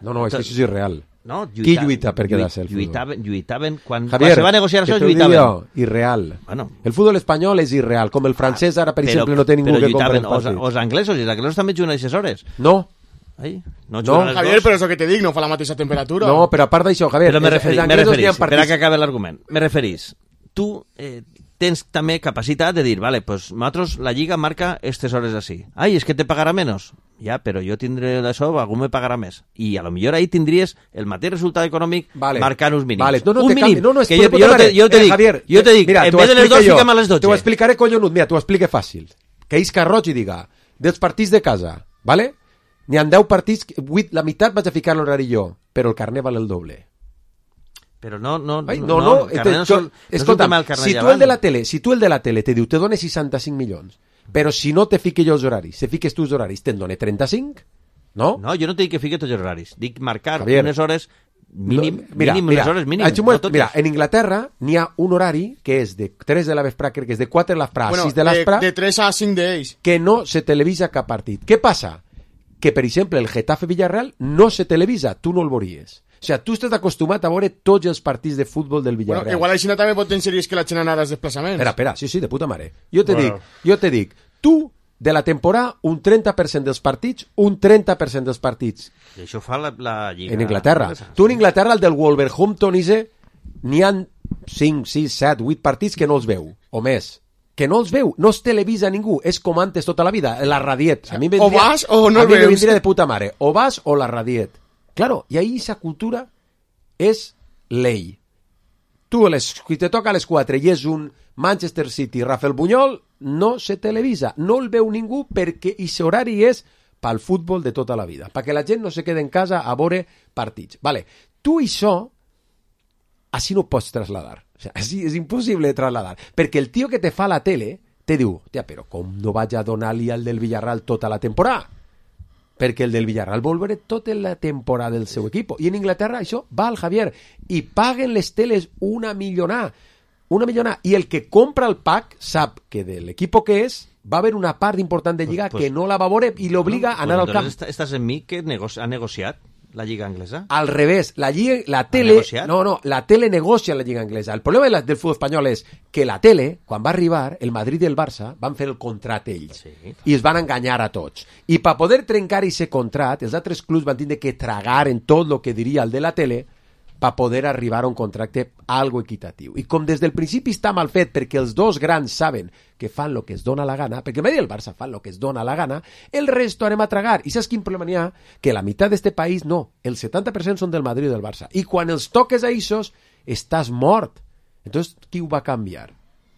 No, és que això és irreal. No, qui lluita per quedar-se el futbol? Lluitaven quan Javier, se va negociar això, lluitaven. Irreal. Bueno. El futbol espanyol és irreal, com el francès ara, per exemple, no té ningú que compra el partit. Els anglesos, i els anglesos també juguen a aquestes hores. No. Javier, però és el que te dic, no fa la mateixa temperatura. No, però a part d'això, Javier, però m'he referit, per a que acabi l'argument, m'he referit. Tu tens també capacitat de dir, vale, pues nosaltres la lliga marca aquestes hores així. Ai, és que te pagarà menys. Ja, però jo tindré d'això, algú me pagarà més. I a lo millor ahí tindries el mateix resultat econòmic marcant uns mínims. Vale. Un mínim. No, que jo te dic, mira, en vez de les 2 fiquem a les 12. T'ho explicaré, collonut. Mira, t'ho explique fàcil. Que Isca Roig i diga, dels partits de casa, vale? N'hi ha 10 partits, 8, la meitat vaig a ficar l'horari jo, però el carnet val el doble. Però no, escolta, si tu el de la tele te diu, te dona 65 milions, però si no te fique jo els horaris, se fiques tu els horaris, te'n dona 35? No? No, jo no te dic que fique tots els horaris, dic marcar unes hores mínim, mira, en Inglaterra n'hi ha un horari que és de 3 de la vesprà, crec que és de 4 de la vesprà a 6 de la vesprà, de 3 a 5 d'ells, que no se televisa cap partit. Què passa? Que, per exemple, el Getafe Villarreal no se televisa, tu no el veuries. O sigui, tu estàs acostumat a veure tots els partits de futbol del Villarreal. Bueno, igual així també pot tenir sèries que la gent anara als desplaçaments. Espera, sí, de puta mare. Jo te dic, tu, de la temporada, un 30% dels partits, I això fa la lliga. En Inglaterra. Tu en Inglaterra, el del Wolverhampton, n'hi ha 5, 6, 7, 8 partits que no els veu, o més. Que no els veu, no es televisa ningú, és com antes tota la vida, la radiet. A mi o vas o no el veus. A mi me vendria de puta mare, o vas o la radiet. Claro, y ahí esa cultura es ley. tu, si te toca a les 4 i és un Manchester City, Rafael Buñol, no se televisa, no el veu ningú perquè aquest horari és pel futbol de tota la vida, perquè la gent no se queda en casa a veure partits. Vale, tu això, així no ho pots trasladar. O sea, així és impossible de trasladar, perquè el tio que te fa la tele te diu, tia, però com no vaig a donar-li al del Villarreal tota la temporada? Perquè el del Villarreal vol veure tota la temporada del seu equip. I en Inglaterra això va al Javier. I paguen les teles una millonada. I el que compra el pack sap que de l'equip que és va haver una part important de lliga que no la va veure i l'obliga a anar al camp. Estàs en mi que ha negociat la lliga anglesa? Al revés, la tele... No, la tele negocia la lliga anglesa. El problema del futbol espanyol és que la tele, quan va arribar, el Madrid i el Barça van fer el contrat ells. Sí. I es van enganyar a tots. I per poder trencar aquest contrat, els altres clubs van tindre que tragar en tot el que diria el de la tele per poder arribar a un contracte algo equitatiu. I com des del principi està mal fet perquè els dos grans saben que fan el que es dona la gana, perquè el Madrid i el Barça fan el que es dona la gana, el resto anem a tragar. I saps quin problema n'hi ha? Que la meitat d'este país no. El 70% són del Madrid i del Barça. I quan els toques a ells, estàs mort. Entonces, qui ho va canviar?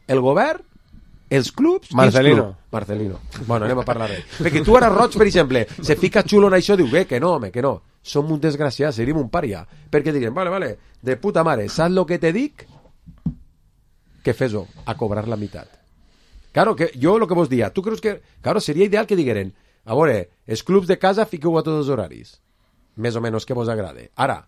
El govern? Els clubs? Marcelino. Bueno, anem a parlar d'ell. Perquè tu ara, Roig, per exemple, se fica xulo en això, diu, que no, home, que no. Som un desgraciat, seríem un pària. Perquè diuen, vale, de puta mare, saps lo que te dic? Que fes-ho, a cobrar la meitat. Claro, que jo lo que vos dia, tu creus que... Claro, seria ideal que digueren, a veure, els clubs de casa fiqueu a tots els horaris. Més o menys que vos agrade. Ara,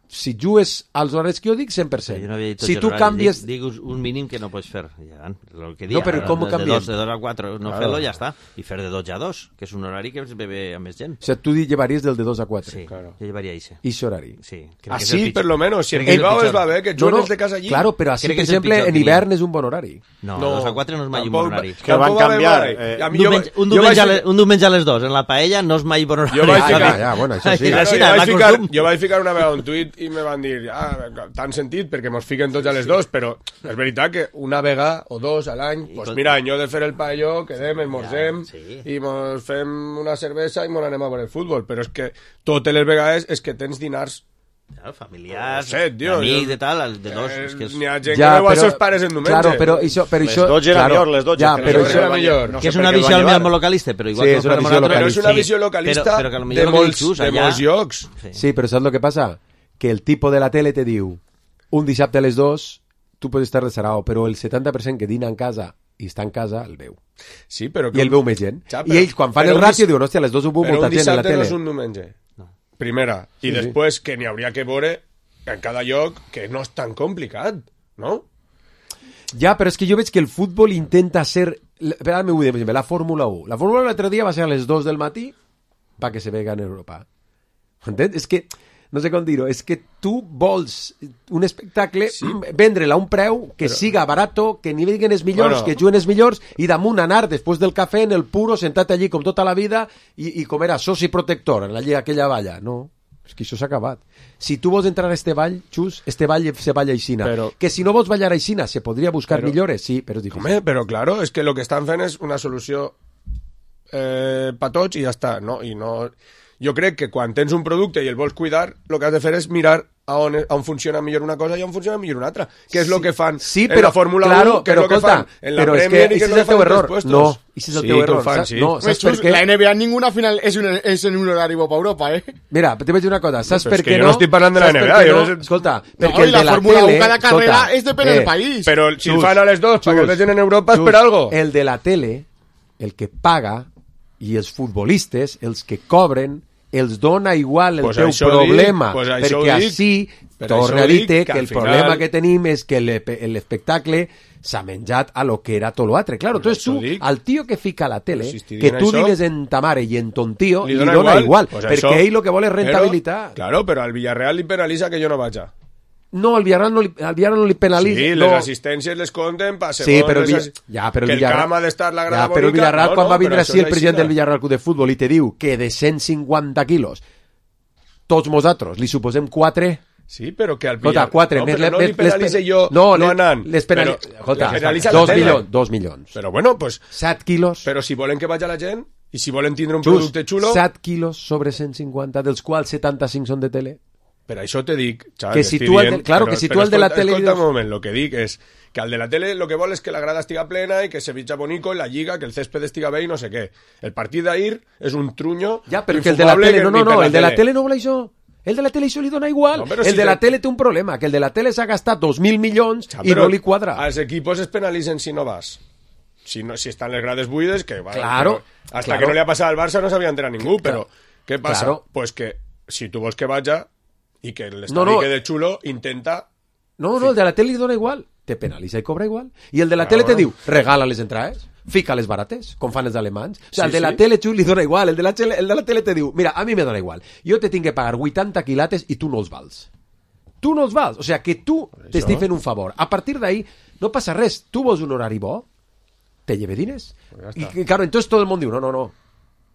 si jugues als horaris que jo dic, 100%. No si tu canvies... Dic un mínim que no pots fer. Ja, lo que dia, no, però com ho canviem? De 2 a 4, no claro. Fer-lo ja està. I fer de 12 a 2, que és un horari que es bebe a més gent. O sigui, tu llevaries del de 2 a 4. Sí, claro. Jo llevaria ese. I horari. Sí. Así, per lo menos. Si en Bilbao es va bé, que juguen els de casa allí. Claro, però així, per exemple, en hivern és un bon horari. No, 2 a 4 no és mai un bon horari. Que van canviar. Un diumenge a les 2, en la paella no és mai bon horari. Jo vaig ficar una vegada un tuit i me van dir tan sentit perquè mos fiquen tots a les 2, però és veritat que una vegada o 2 a l'any, pues mira, en lloc de fer el paelló, quedem, esmorzem i mos fem una cervesa i mos anem a veure el futbol, però és que totes les vegades és que tens dinars familiars, amics, de tal, de dos. N'hi ha gent que veu els seus pares en diumenge. Claro, però això... Les 12 era millor, les 12. Però això era millor. Que és una visió molt localista, però igual però és una visió localista de molts llocs. Sí, però saps el que passa? Que el tipo de la tele te diu un dissabte a les 2 tu pots estar de sarao, però el 70% que dina en casa i està en casa el veu. Sí, però i el veu més gent. I ells quan fan el ràtio diuen, hòstia, a les 2 ho veu molta gent a la tele. Però un dissabte no és un diumenge. Primera. I després que n'hi hauria que veure en cada lloc que no és tan complicat, no? Ja, però és que jo veig que el futbol intenta ser... Per exemple, la Fórmula 1. La Fórmula 1 l'altre dia va ser a les 2 del matí perquè se vega en Europa. Entens? És que... No sé com dir-ho, és que tu vols un espectacle, vendre-la a un preu que siga barato, que ni veguen els millors, que juguen els millors, i damunt anar després del cafè en el puro, sentat allí com tota la vida, i com era soci protector en aquella valla. No, és que això s'ha acabat. Si tu vols entrar a este ball, Xus, este ball se balla aixina. Que si no vols ballar aixina, se podria buscar millores, sí, però és difícil. Home, però claro, és que el que estan fent és una solució per tots i ja està, no? I no... Jo crec que quan tens un producte i el vols cuidar, el que has de fer és mirar a on funciona millor una cosa i on funciona millor una altra, que és el que fan en la Fórmula 1, que és el que fan en la Premier i que és el que fan en els puestos. No, ese es el teu error. No, saps per què? La NBA ninguna final és en un horari bo per Europa, Mira, te vaig dir una cosa, saps per què no? Jo no estic parlant de la NBA. Escolta, perquè el de la Fórmula 1 cada carrera és depèn del país. Però si el fan a les 2 perquè el vegin en Europa és per algo. El de la tele, el que paga, i els futbolistes, els que cobren, els dona igual el teu problema, perquè així torna a dir-te que el problema que tenim és que l'espectacle s'ha menjat a lo que era tot l'altre. Claro, entonces tu, al tio que fica a la tele, que tu digues en ta mare i en ton tio, li dona igual, perquè ell lo que vol és rentabilitat. Claro, però al Villarreal li penalitza que jo no vaig a. No, al Villarreal no li penalitza. Sí, les assistències les compten per segons... Sí, però que el camp ha d'estar la grada bonica... Però el Villarreal, quan va vindre així el president del Villarreal Club de Futbol i te diu que de 150 quilos tots nosaltres li suposem 4... Sí, però que al Villarreal... 4, no li penalitze jo no anant. Escolta, 2 milions. Però bueno, pues... 7 quilos... Però si volen que vagi la gent i si volen tindre un producte xulo... 7 quilos sobre 150, dels quals 75 són de tele... Per això te dic, xaval, que si tu el de la tele... Escolta un moment, lo que dic és que al de la tele lo que vol és que la grada estiga plena i que se ficha bonico en la lliga, que el césped estiga bé i no sé què. El partit d'ahir és un truño... Ja, però que el de la tele... No, el de la tele no vol això. El de la tele això li dona igual. No, el de la tele té un problema, que el de la tele s'ha gastat 2.000 milions i no li quadra. Els equipos es penalitzen si no vas. Si estan les grades buides, que... Claro. Hasta que no li ha passat al Barça no sabia entrar ningú, però què passa? Pues que si tu vols que vaja i que l'estadi quede xulo, intenta... No, el de la tele li dona igual. Te penalitza i cobra igual. I el de la tele te diu, regala les entrades, fica les barates, com fan els alemanys. O sigui, el de la tele li dona igual. El de la tele te diu, mira, a mi me dona igual. Jo te tinc que pagar 80 quilates i tu no els vals. Tu no els vals. O sigui, que tu t'estic fent un favor. A partir d'ahí no passa res. Tu vols un horari bo, te lleve diners. Y claro, entonces todo el mundo diu,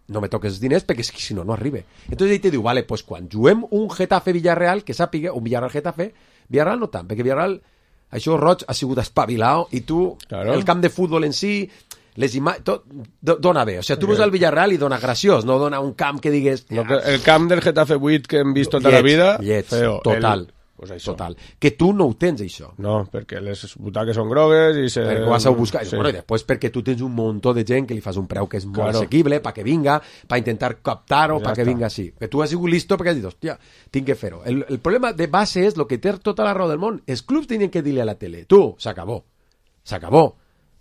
no me toques diners perquè si no arribe. Entonces ell te diu, vale, pues quan juguem un Getafe-Villarreal, que sàpiga, un Villarreal-Getafe, Villarreal no tant, perquè Villarreal, això Roig ha sigut espavilat i tu, el camp de futbol en si, les imatges, tot dona bé. O sigui, tu veus al Villarreal i dona graciós, no dona un camp que digues... No, el camp del Getafe 8 que hem vist tota la vida... Feo, total. Pues total. Que tu no ho tens, això. No, perquè les butaques són grogues i se... Perquè ho vas a buscar. Sí. Bueno, i després perquè tu tens un muntó de gent que li fas un preu que és molt assequible, perquè vinga, per intentar captar-ho, perquè vinga així. Que tu has sigut listo perquè has dit, hòstia, tinc que fer-ho. El problema de base és el que té tota la raó del món. Els clubs tenien que dir-li a la tele, tu, s'acabó.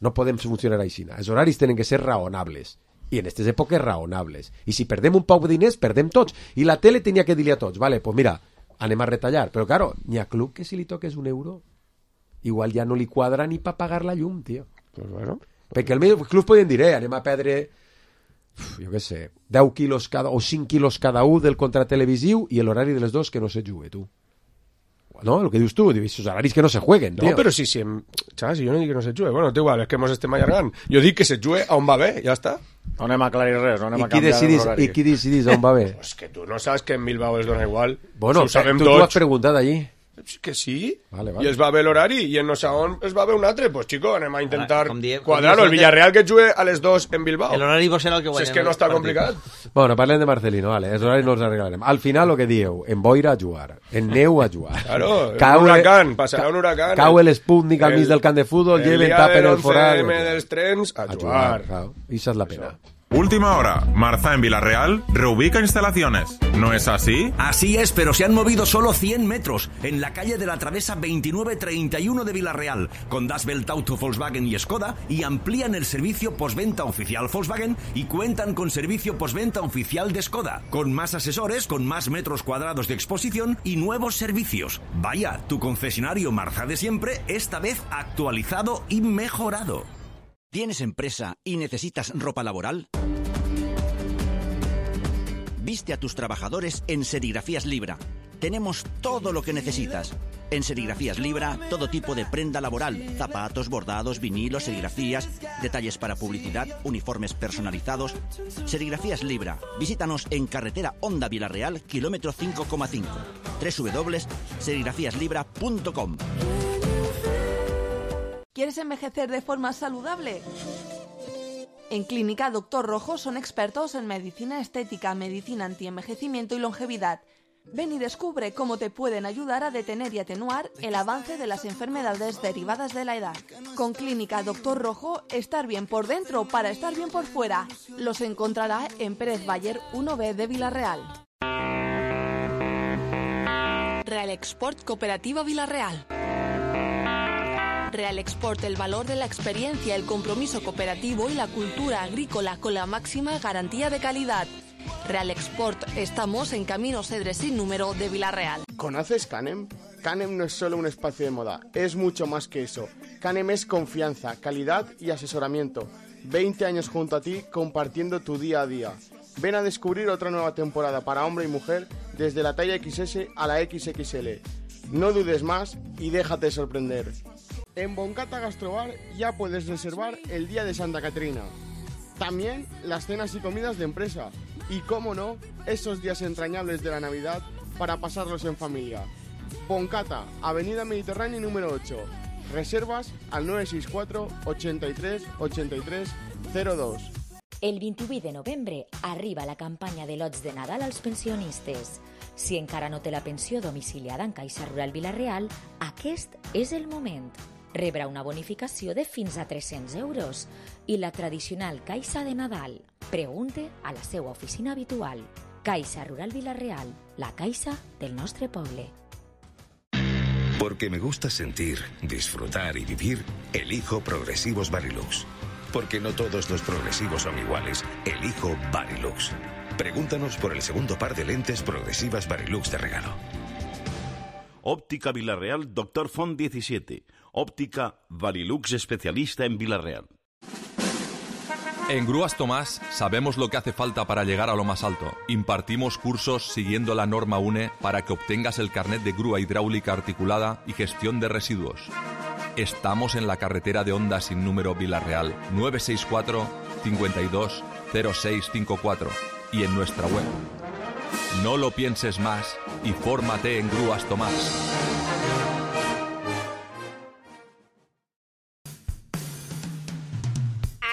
No podem funcionar així. Els horaris tenen que ser raonables. I en aquestes èpoques raonables. I si perdem un poc de diners, perdem tots. I la tele tenia que dir-li a tots, vale, pues mira, anem a retallar, però claro, n'hi ha club que si li toques €1 igual ja no li quadra ni per pagar la llum, tio. Pues bueno. Perquè els clubs poden dir, anem a perdre jo què sé, 10 quilos o 5 quilos cada un del contrat televisiu i l'horari de les dos que no se jugue, tu. No, el que dius tu, dius, horaris que no se jueguen, tio. No, però si jo no dic que no se jugue, bueno, igual, és que mos estem allargant. Jo dic que se jugue on va bé, ja està. No anem a aclarir res, no anem a canviar l'horari. I qui decidís on va bé? Pues que tu no saps que en Bilbao es dona igual. Bueno, si tu has preguntat allí. Que sí, vale. I es va bé l'horari i en no sé on es va bé un altre, pues chico, anem a intentar quadrar-ho. El Villarreal que jugue a les 2 en Bilbao. L'horari vos serà el que guanyem. Si és que no està complicat. Bueno, parlem de Marcelino, vale, els horaris no els arreglarem. Al final, el que dieu, en boira a jugar, en neu a jugar. Claro, un huracán, passarà un huracán. Cau l'Sputnik al mig del camp de futbol, lleven, tapen el forat. El dia dels trens a jugar. Esa és la pena. Última hora, Marza en Villarreal reubica instalaciones. ¿No es así? Así es, pero se han movido solo 100 metros en la calle de la Travesa 2931 de Villarreal, con Das Welt Auto, Volkswagen y Skoda, y amplían el servicio postventa oficial Volkswagen y cuentan con servicio postventa oficial de Skoda, con más asesores, con más metros cuadrados de exposición y nuevos servicios. Vaya, tu concesionario Marza de siempre, esta vez actualizado y mejorado. ¿Tienes empresa y necesitas ropa laboral? Viste a tus trabajadores en Serigrafías Libra. Tenemos todo lo que necesitas. En Serigrafías Libra, todo tipo de prenda laboral, zapatos, bordados, vinilos, serigrafías, detalles para publicidad, uniformes personalizados. Serigrafías Libra. Visítanos en carretera Honda Villarreal, kilómetro 5,5. www.serigrafíaslibra.com. ¿Quieres envejecer de forma saludable? En Clínica Doctor Rojo son expertos en medicina estética, medicina antienvejecimiento y longevidad. Ven y descubre cómo te pueden ayudar a detener y atenuar el avance de las enfermedades derivadas de la edad. Con Clínica Doctor Rojo, estar bien por dentro para estar bien por fuera. Los encontrará en Pérez Bayer 1B de Villarreal. Real Export Cooperativa Villarreal. Real Export, el valor de la experiencia, el compromiso cooperativo y la cultura agrícola con la máxima garantía de calidad. Real Export, estamos en Camino Cedres sin número de Villarreal. ¿Conoces Canem? Canem no es solo un espacio de moda, es mucho más que eso. Canem es confianza, calidad y asesoramiento. 20 años junto a ti compartiendo tu día a día. Ven a descubrir otra nueva temporada para hombre y mujer desde la talla XS a la XXL. No dudes más y déjate sorprender. En Boncata Gastrobar ya puedes reservar el día de Santa Caterina. También las cenas y comidas de empresa. Y cómo no, esos días entrañables de la Navidad para pasarlos en familia. Boncata, Avenida Mediterránea número 8. Reservas al 964 83 83 02. El 28 de novembre arriba la campanya de lots de Nadal als pensionistes. Si encara no té la pensió domiciliada en Caixa Rural Vila-real, aquest és el moment. Rebrà una bonificació de fins a 300 euros i la tradicional Caixa de Nadal. Pregunte a la seva oficina habitual. Caixa Rural Vila-real, la caixa del nostre poble. Porque me gusta sentir, disfrutar y vivir, elijo Progresivos Varilux. Porque no todos los progresivos son iguales, elijo Varilux. Pregúntanos por el segundo par de lentes progresivas Varilux de regalo. Óptica Vila-real, Dr. Font 17. Óptica Varilux, especialista en Vila-real. En Grúas Tomás sabemos lo que hace falta para llegar a lo más alto. Impartimos cursos siguiendo la norma UNE para que obtengas el carnet de grúa hidráulica articulada y gestión de residuos. Estamos en la carretera de Honda sin número Vila-real, 964 52 0654 y en nuestra web. No lo pienses más y fórmate en Grúas Tomás.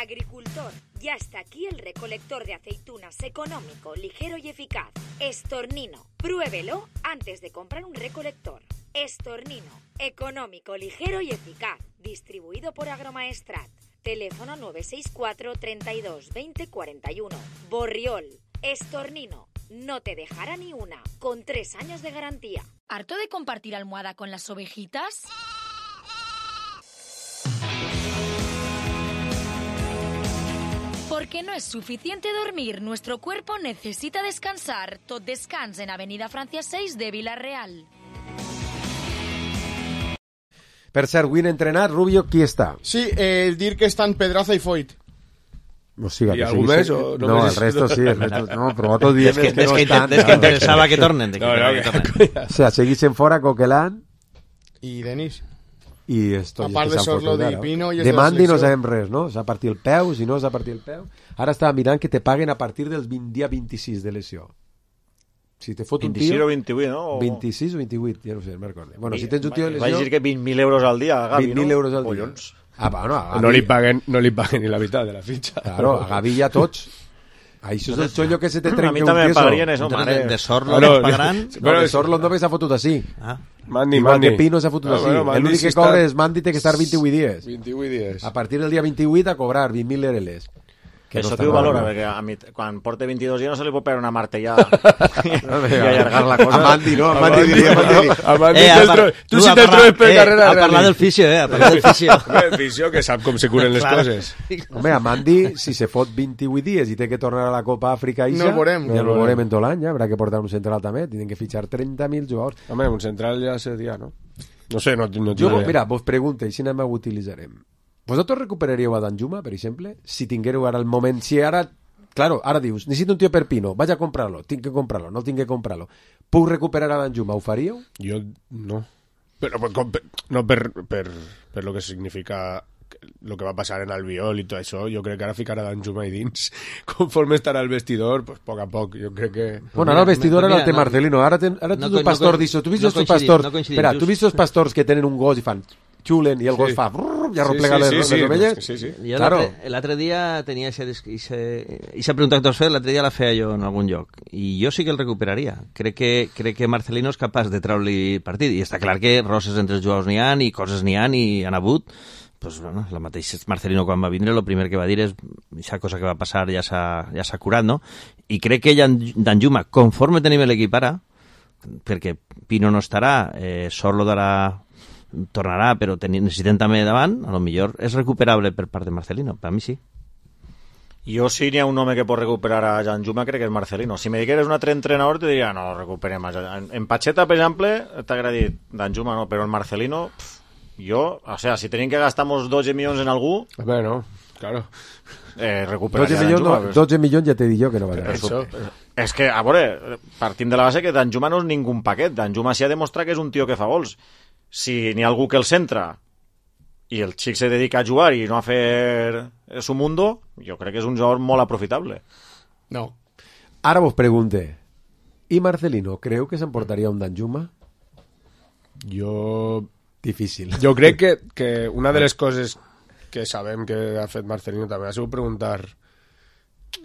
Agricultor, ya está aquí el recolector de aceitunas económico, ligero y eficaz. Estornino, pruébelo antes de comprar un recolector. Estornino, económico, ligero y eficaz. Distribuido por Agromaestrat. Teléfono 964 32 20 41. Borriol, Estornino, no te dejará ni una, con 3 años de garantía. ¿Harto de compartir almohada con las ovejitas? Porque no es suficiente dormir, nuestro cuerpo necesita descansar. Tot descans en Avenida Francia 6 de Vila-real. Per cert, avui en entrenat, Rubio, qui està? Sí, el dir que estan Pedraza i Foyt. O sigui, ¿Y algún mes? O no, el resto sí, el resto no, però otros días que no estan. Des que interessava que tornen. O sea, seguixen fora Coquelán i Denis. I esto, a part de Sorlo i Pino i de Mandi no sabem res, no? S'ha partit el peu, si no s'ha partit el peu. Ara estava mirant que te paguen a partir del dia 26 de lesió. Si te fot un tio... 26 o 28, no? 26 o 28, ja no sé, no me'n recordo. Bueno, si tens un tio de lesió... Vaig dir que 20.000 euros al dia a Gavi, 20.000 no? euros al dia. Collons. Bueno, a Gavi... No li paguen ni la mitad de la fitxa. Claro, a Gavi ja tots. Això és el xollo que se te trenca un queso. A mi també me pagarien eso, mare. De Sorlo no pagaran? No, de Sorlo no s'ha fotut així. Mandi. Igual que Pino s'ha fotut així. L'únic que cobra és Mandi té que estar 28 dies. 28 dies. A partir del dia 28 a cobrar 20.000 euros. Que això t'ho valora, perquè a mi, quan porta 22 dies no se li pot pegar una martellada i allargar la cosa. A Mandi, no? A Mandi diria. A Mandi tu si te'l trobes per carrera... A parlar del fisio, a parlar del fisio. El fisio que sap com se curen les coses. Home, a Mandi, si se fot 28 dies i té que tornar a la Copa Àfrica ja no el veurem en tot l'any, ja haurà que portar un central també, tenen que fitxar 30.000 jugadors. Home, un central ja seria, no? No sé, no jo, mira, vos pregunto, i si anem a utilitzarem. Vosaltres recuperaríeu a Danjuma, per exemple? Si tinguéreu ara el moment... Si ara... Claro, ara dius, necessito un tio per Pino, vaig a comprarlo, tinc que comprarlo, no tinc que comprarlo. Puc recuperar a Danjuma, ho faríeu? Jo no. Però no per lo que significa lo que va passar en Albiol i tot això, jo crec que ara ficarà Danjuma i dins. Conforme estarà el vestidor, pues poc a poc, jo crec que... Bueno, ara el vestidor era el té Marcelino, ara tu un pastor disso, tu vist els pastors... Espera, tu vist els pastors que tenen un gos i fan... xulen i el gos fa i arromplega les ovelles. Jo l'altre dia tenia aquesta pregunta que t'has fet, l'altre dia la feia jo en algun lloc i jo sí que el recuperaria. Crec que Marcelino és capaç de treure-li partit i està clar que roses entre els jugadors n'hi ha i coses n'hi ha i han hagut. Pues, bueno, la mateixa Marcelino quan va vindre el primer que va dir és aquesta cosa que va passar ja s'ha curat, no? I crec que Danjuma, conforme tenim l'equip ara, perquè Pino no estarà, Sorlo tornarà, però necessitem també davant, a lo millor és recuperable per part de Marcelino, per a mi sí. Jo si n'hi ha un home que pot recuperar a Danjuma crec que és Marcelino. Si me digueres un altre entrenador te diria no, lo recuperem. En Pacheta, per exemple, t'agrada dir Danjuma no, però en Marcelino jo, o sea, si tenim que gastar-nos 12 milions en algú... Bueno, claro. Recuperaria Danjuma. 12 milions ja t'he dit jo que no va això. És que, a veure, partim de la base que Danjuma no és ningú paquet. Danjuma s'ha demostrat que és un tio que fa gols. Si n'hi ha algú que el centra i el xic se dedica a jugar i no a fer su mundo, jo crec que és un jugador molt aprofitable. No. Ara vos pregunte, ¿y Marcelino creu que s'emportaria un Danjuma? Difícil. Jo crec que una de les coses que sabem que ha fet Marcelino també ha sigut preguntar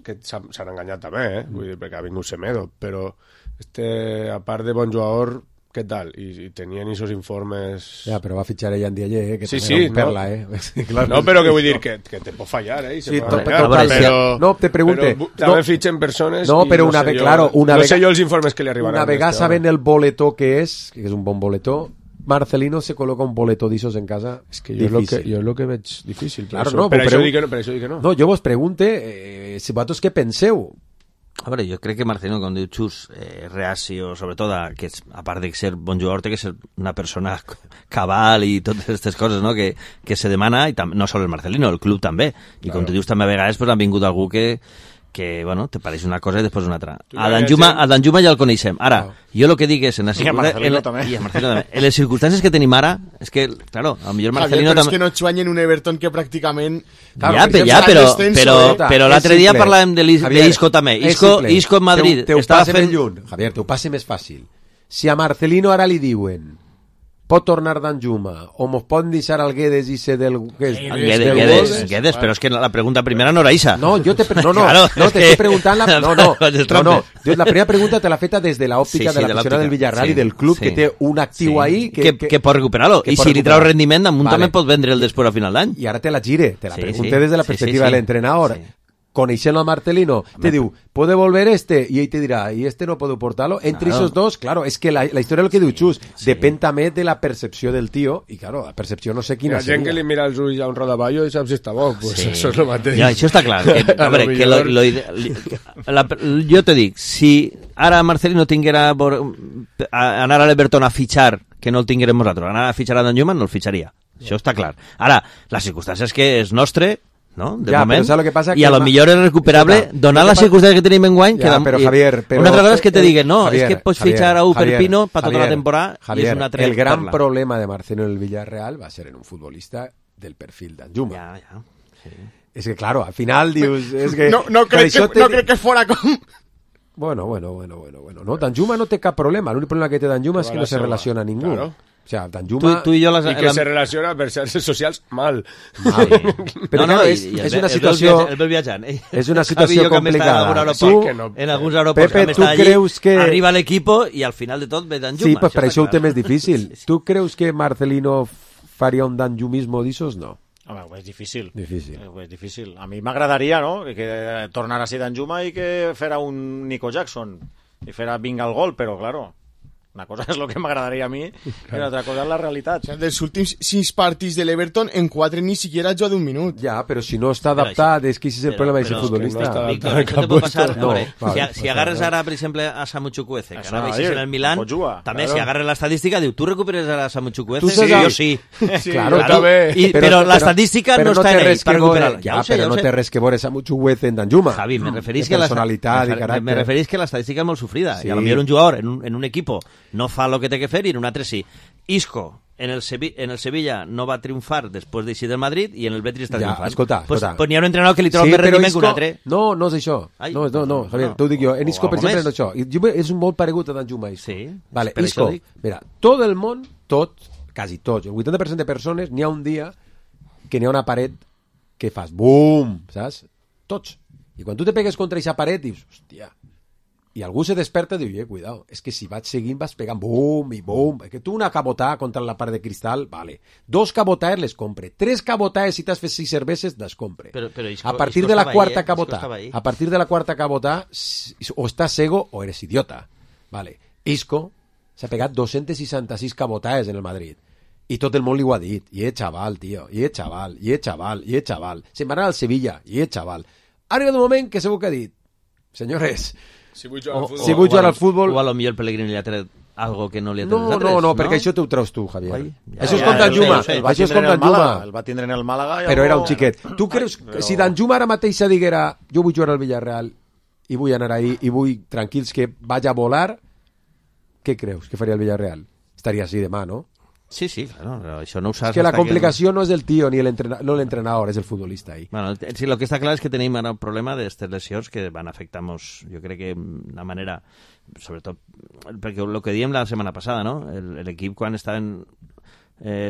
que s'han enganyat també, vull dir, perquè ha vingut Semedo, però a part de bon jugador, què tal? I tenien esos informes... Ja, però va fitxar ella en Dialler, que també era un perla, Clar, no, però que vull dir que te pot fallar, Sí, però... No, te pregunte... També fitxen persones... No, però una vegada... Claro, no sé jo els informes que li arribaran. Una vegada saben el boletó que és un bon boletó, Marcelino se coloca un boleto d'issos en casa. És que jo és lo que veig difícil. Claro, no, per això dic que no. No, jo vos pregunte si vosaltres què penseu. A veure, jo crec que Marcelino, com diu Xus, reacio, sobretot, que a part de ser bon jugador, té que ser una persona cabal i totes aquestes coses, no?, que se demana, i no sol el Marcelino, el club també. I com tu dius, també a vegades han vingut algú que bueno, te pareix una cosa i després una altra. A Danjuma ja el coneixem. Ara, jo el que dic és... I a Marcelino també. En les circumstàncies que tenim ara, és que, claro, a lo millor Marcelino... Javier, però és que no xuanyen un Everton que pràcticament... Però l'altre dia parlàvem d'Isco també. Isco en Madrid. Te ho passe més lluny. Javier, te ho passe més fàcil. Si a Marcelino ara li diuen pot tornar Danjuma o mos poden deixar al Guedes i ser del... Guedes, però és que la pregunta primera no era Isa. No, jo te preguntant la primera pregunta te l'ha feta des de l'òptica de l'aficionat del Villarreal i del club que té un actiu ahí que pot recuperar-lo, i si li trau rendiment damunt també pot vendre el després a final d'any. I ara te la gire, te la pregunté des de la perspectiva de l'entrenador. Coneixent al Marcelino, te diu, ¿puede volver y ell te dirà, y no puedo portarlo? Entre esos dos, claro, es que la historia es lo que diu Xus, depèn també de la percepció del tío, i claro, la percepció no sé quina seria. La gent que li mira els ulls a un rodaballo i saps si està bo, pues eso és lo mateix. Ja, això està clar. Jo te dic, si ara Marcelino tinguera anar a l'Everton a fitxar, que no el tinguérem nosaltres, anar a fitxar a Danjuma, no el fitxaria. Això està clar. Ara, la circumstància és que és nostre, no? De moment, lo que pasa i a lo millor és recuperable donant les circumstàncies que tenim enguany. Però Javier, una altra cosa és que te diguen, no, és que pots fitxar a Perpino per tota la temporada. Javier, el gran problema de Marcelo en el Villarreal va ser en un futbolista del perfil d'Anjuma. Ja. És que, claro, al final dius... Es que, no crec que fora com... Bueno. No, Danjuma no té cap problema. L'únic problema que té Danjuma és que no se relaciona a ningú. Claro. O sea, Danjuma... I que se relaciona per xarxes socials mal. Però no, és una situació... El viatjant. És una situació complicada. En alguns aeroports Pepe, tu creus que... Arriba l'equip i al final de tot ve Danjuma. Sí, pues per això ho té més difícil. Tu creus que Marcelino faria un danjumismo d'issos? No. Home, ho és difícil. Ho és difícil. A mi m'agradaria, no?, que tornara a ser Danjuma i que fera un Nico Jackson i fera vinga el gol, però, claro... Una cosa és el que m'agradaria a mi i una altra cosa és la realitat. O sea, dels últims 6 partits de l'Everton, en 4 ni siquiera ha jugat un minut. Ja, però si no està adaptat, és que és el problema d'aquest futbolista. Si agarres ara, per exemple, a Samu Chukwueze, que ara veixes en el Milan, també si agarres l'estadística, diu, tu recuperes ara a Samu Chukwueze? Sí, jo sí. Claro, però l'estadística no està en ell per recuperar-lo. Ja, però no té res que veure Samu Chukwueze en Danjuma. Javi, me referís que l'estadística és molt sofrida, i a lo millor un jugador en un equipo no fa el que té que fer i en un altre sí. Isco en el Sevilla no va triomfar després d'eixir del Madrid i en el Betis està triomfant. Escolta. Pues n'hi ha un entrenador que li troba més rendiment que un altre. No és això. No, Javier, t'ho dic jo. En Isco, per exemple, no és això. És un molt paregut a Danjuma. Sí. Vale, Isco, mira, tot el món, quasi tot, el 80% de persones, n'hi ha un dia que n'hi ha una paret que fas bum, saps? Tots. I quan tu te pegues contra aquesta paret, dius, hòstia, i algú se desperta i diu, cuidado, és que si vaig seguint vas pegant bum i bum, que tu una cabotà contra la part de cristal, vale, 2 cabotàes les compre, 3 cabotàes si t'has fet 6 cerveses les compre, a partir de la quarta cabotà o estàs cego o eres idiota, vale. Isco s'ha pegat 266 cabotàes en el Madrid i tot el món li ho ha dit, i és xaval, tio, i és xaval, se'n va anar al Sevilla, i és xaval, ha arribat un moment que segur que ha dit, senyores, si vull jugar al futbol... O a lo millor el Pellegrini li ha tret algo que no li ha tret nosaltres. No, perquè això t'ho treus tu, Javier. Això és com Danjuma. Això és com Danjuma. El va tindre en el Màlaga... Però era un xiquet. Tu creus que si Danjuma ara mateix diguera jo vull jugar al Villarreal i vull anar ahí i vull tranquils que vaig a volar, què creus que faria el Villarreal? Estaria així demà, no? Sí, claro, això no ho saps. És que la complicació no és del tio ni no l'entrenador, és el futbolista ahí. Bueno, sí, lo que està clar és que tenim ara un problema d'estes lesions que van afectar-nos, jo crec que d'una manera, sobretot, perquè el que diem la setmana passada, no? L'equip quan estaven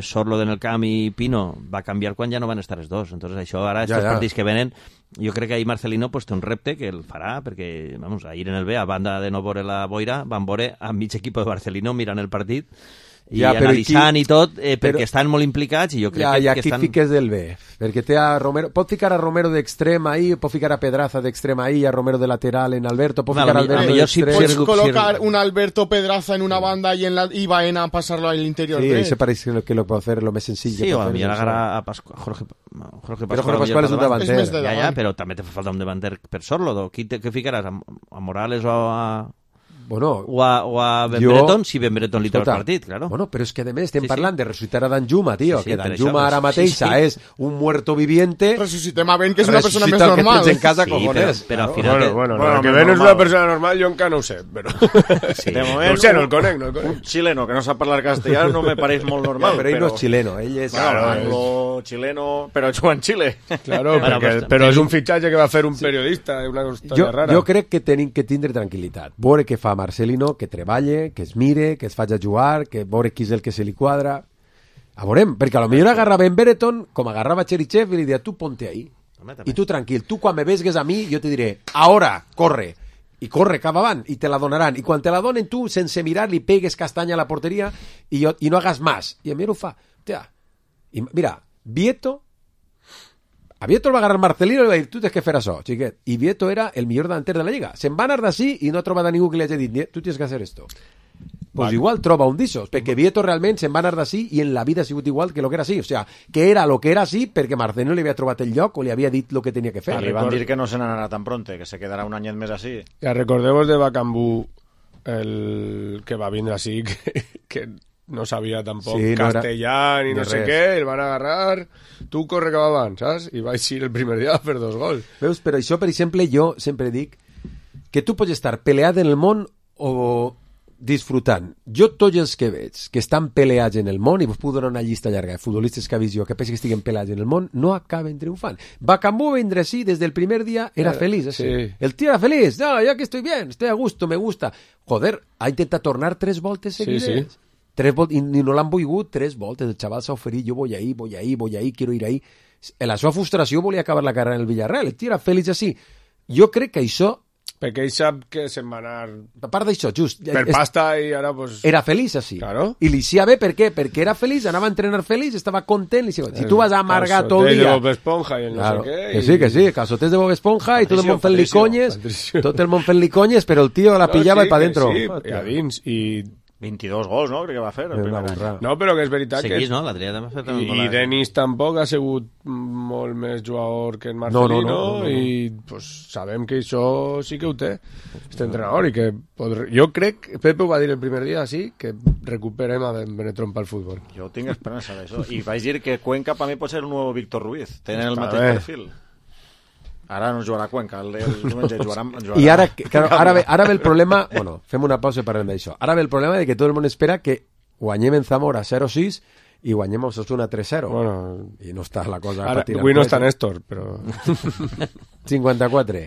Sorlo en el camp i Pino va canviar quan ja no van estar els dos. Entonces això ara, estos partits que venen, jo crec que ahir Marcelino pues, té un repte que el farà, perquè vamos, ahir en el B, a banda de no veure la boira, van veure a mig equip de Marcelino mirant el partit i analitzant i tot, perquè estan molt implicats i jo crec que aquí estan... fiques del B, perquè té a Romero, pot ficar a Romero d'extrem ahí, pot ficar a Pedraza d'extrem ahí, a Romero de lateral en Alberto, pot ficar a Alberto d'extrem. Pots colocar un Alberto Pedraza en una banda y Baena a pasarlo al interior. Sí, eso parece que lo puede hacer lo més senzill. Sí, o a millor agarrar a Jorge Pascual. Però Jorge Pascual és un davanter. Ja, però també te fa falta un davanter per Sorlo. Què ficaràs? A Morales o a... Bueno, o a Ben Breton, si Ben Breton li treu el partit, claro. Bueno, però és que a més estem parlant de ressuscitar a Danjuma, tio, que Danjuma ara mateixa és un muerto viviente. Ressuscitem a Ben, que és una persona més normal. Que tens en casa, cojones. Però al final... Bueno, que Ben és una persona normal, jo encara no ho sé, però... De moment, no sé, no el conec. Un chileno que no sap parlar castellà no me pareix molt normal. Però ell no és chileno, ell és... Anglo-chileno, però juga en Xile. Claro, però és un fitxatge que va fer un periodista, una història rara. Jo crec que tenim que tindre tranquil·litat. Veure què fa Marcelino, que treballe, que es mire, que es faci a jugar, que veure qui és el que se li quadra. A veurem, perquè a lo millor agarrava en Brereton com agarrava Cherichev i li diria, tu ponte ahí. I tu tranquil, tu quan me vesgues a mi jo te diré, ahora, corre. I corre cap avant, i te la donaran. I quan te la donen tu, sense mirar, li pegues castanya a la porteria i no hagas más. I a mi ho fa. Hòstia. I mira, a Vieto el va agarrar Marcelino i li va dir, tu tens que fer això, xiquet. I Vieto era el millor davanter de la Lliga. Se'n va anar d'ací i no ha trobat a ningú que li hagi dit, tu tens que fer esto. Pues igual troba un d'ixos, perquè Vieto realment se'n va anar d'ací i en la vida ha sigut igual que lo que era així. O sea, que era lo que era així perquè Marcelino li havia trobat el lloc o li havia dit lo que tenia que fer. Li van dir que no se n'anarà tan pronte, que se quedarà un anyet més així. Ja recordeu de Bacambú, el que va vindre així, que no sabia tampoc castellà ni no sé què, el van agarrar, tu corre cap avant, saps? I vaig ir el primer dia a fer 2 gols. Veus, però això, per exemple, jo sempre dic que tu pots estar peleat en el món o disfrutant. Jo tots els que veig que estan peleats en el món, i vos puc donar una llista llarga de futbolistes que ha vist jo que penso que estiguen peleats en el món, no acaben triomfant. Bacambú vindre sí, des del primer dia era feliç. Sí. El tío era feliç, no, ya que estoy bien, estoy a gusto, me gusta. Joder, ha intentat tornar 3 voltes seguides. Sí. 3 voltes, i no l'han volgut 3 voltes. El xaval s'ha oferit, jo voy ahí, quiero ir ahí. En la seva frustració volia acabar la carrera en el Villarreal. El tio era feliç així. Jo crec que això... Perquè ell sap que se'n va anar... A part d'això, just... Per pasta i ara, pues... Era feliç així. Claro. I li sia bé, per què? Perquè era feliç, anava a entrenar feliç, estava content. Si tu vas a amargar tot el dia... de Bob Esponja i el no sé què... Que sí, calçotets de Bob Esponja i tot el món fent-li conyes, però el tio la pillava i pa dentro. Sí, i a dins, i... 22 gols, no? Crec que va fer el primer any. No, però que és veritat Seguís, que... no? L'Adrià també ha fet... I Denis tampoc ha sigut molt més jugador que en Marcelino no. I pues, sabem que això sí que ho té, este entrenador, i que jo crec, Pepe ho va dir el primer dia, sí, que recuperem a Benetron pel futbol. Jo tinc esperança d'això. I vaig dir que Cuenca per mi pot ser un nou Víctor Ruiz. Tenen el mateix perfil. Ara no jugarà Cuenca, el diumenge jugarà... I ara, claro, ara ve el problema... Bueno, fem una pausa i parlem d'això. Ara ve el problema de que tot el món espera que guanyem en Zamora 0-6 i guanyem a Osasuna 3-0. Bueno, i no està la cosa... Avui no està Néstor, però... 54.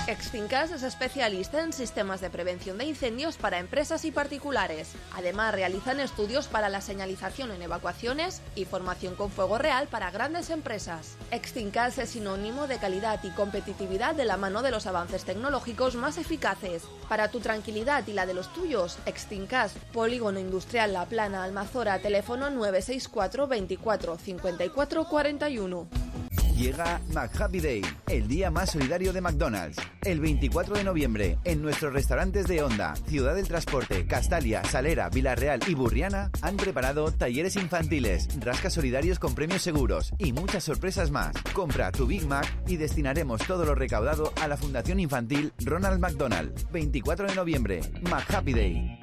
Exfincas es especialista en sistemas de prevención de incendios para empresas y particulares. Además, realizan estudios para la señalización en evacuaciones y formación con fuego real para grandes empresas. Exfincas es sinónimo de calidad y competitividad de la mano de los avances tecnológicos más eficaces. Para tu tranquilidad y la de los tuyos, Exfincas, Polígono Industrial La Plana, Almazora, teléfono 964 24 54 41. Llega McHappy Day, el día más solidario de McDonald's. El 24 de noviembre, en nuestros restaurantes de Onda, Ciudad del Transporte, Castalia, Salera, Villarreal y Burriana, han preparado talleres infantiles, rascas solidarios con premios seguros y muchas sorpresas más. Compra tu Big Mac y destinaremos todo lo recaudado a la Fundación Infantil Ronald McDonald. 24 de noviembre, McHappy Day.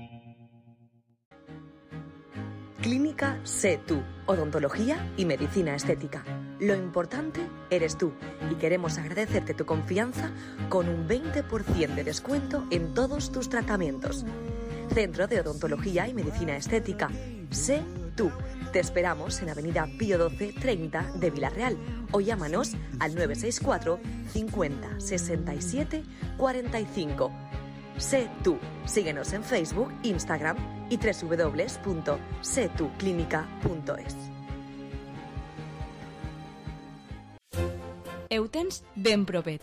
Clínica Sé Tú, odontología y medicina estética. Lo importante eres tú y queremos agradecerte tu confianza con un 20% de descuento en todos tus tratamientos. Centro de Odontología y Medicina Estética. Sé Tú. Te esperamos en Avenida Pío 12 30 de Villarreal o llámanos al 964 50 67 45. Sé tú. Síguenos en Facebook, Instagram y www.setuclínica.es. Ho tens ben propet.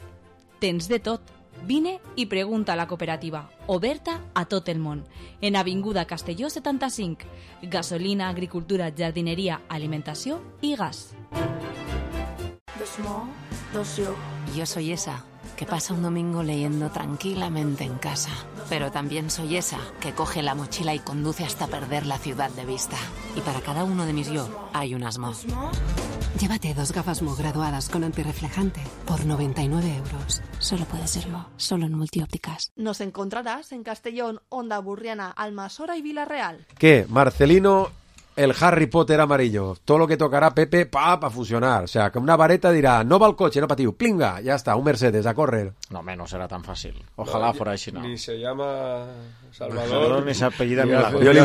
Tens de tot. Vine i pregunta a la cooperativa, oberta a tot el món. En Avinguda Castelló 75. Gasolina, agricultura, jardineria, alimentació i gas. Yo soy esa, que pasa un domingo leyendo tranquilamente en casa. Pero también soy esa, que coge la mochila y conduce hasta perder la ciudad de vista. Y para cada uno de mis yo, hay un Asmo. Llévate 2 gafas Mo graduadas con antirreflejante por 99 euros. Solo puede serlo, solo en Multiópticas. Nos encontrarás en Castellón, Onda Burriana, Almasora y Villarreal. ¿Qué? Marcelino, el Harry Potter amarillo. Todo lo que tocará Pepe, pa funcionar. O sea, que una vareta dirá, no va al coche, no patiu, plinga, ya está, un Mercedes, a correr. No, no será tan fácil. Ojalá fuera així, no. Ni se llama Salvador, ni se apellida Milagro. Jo li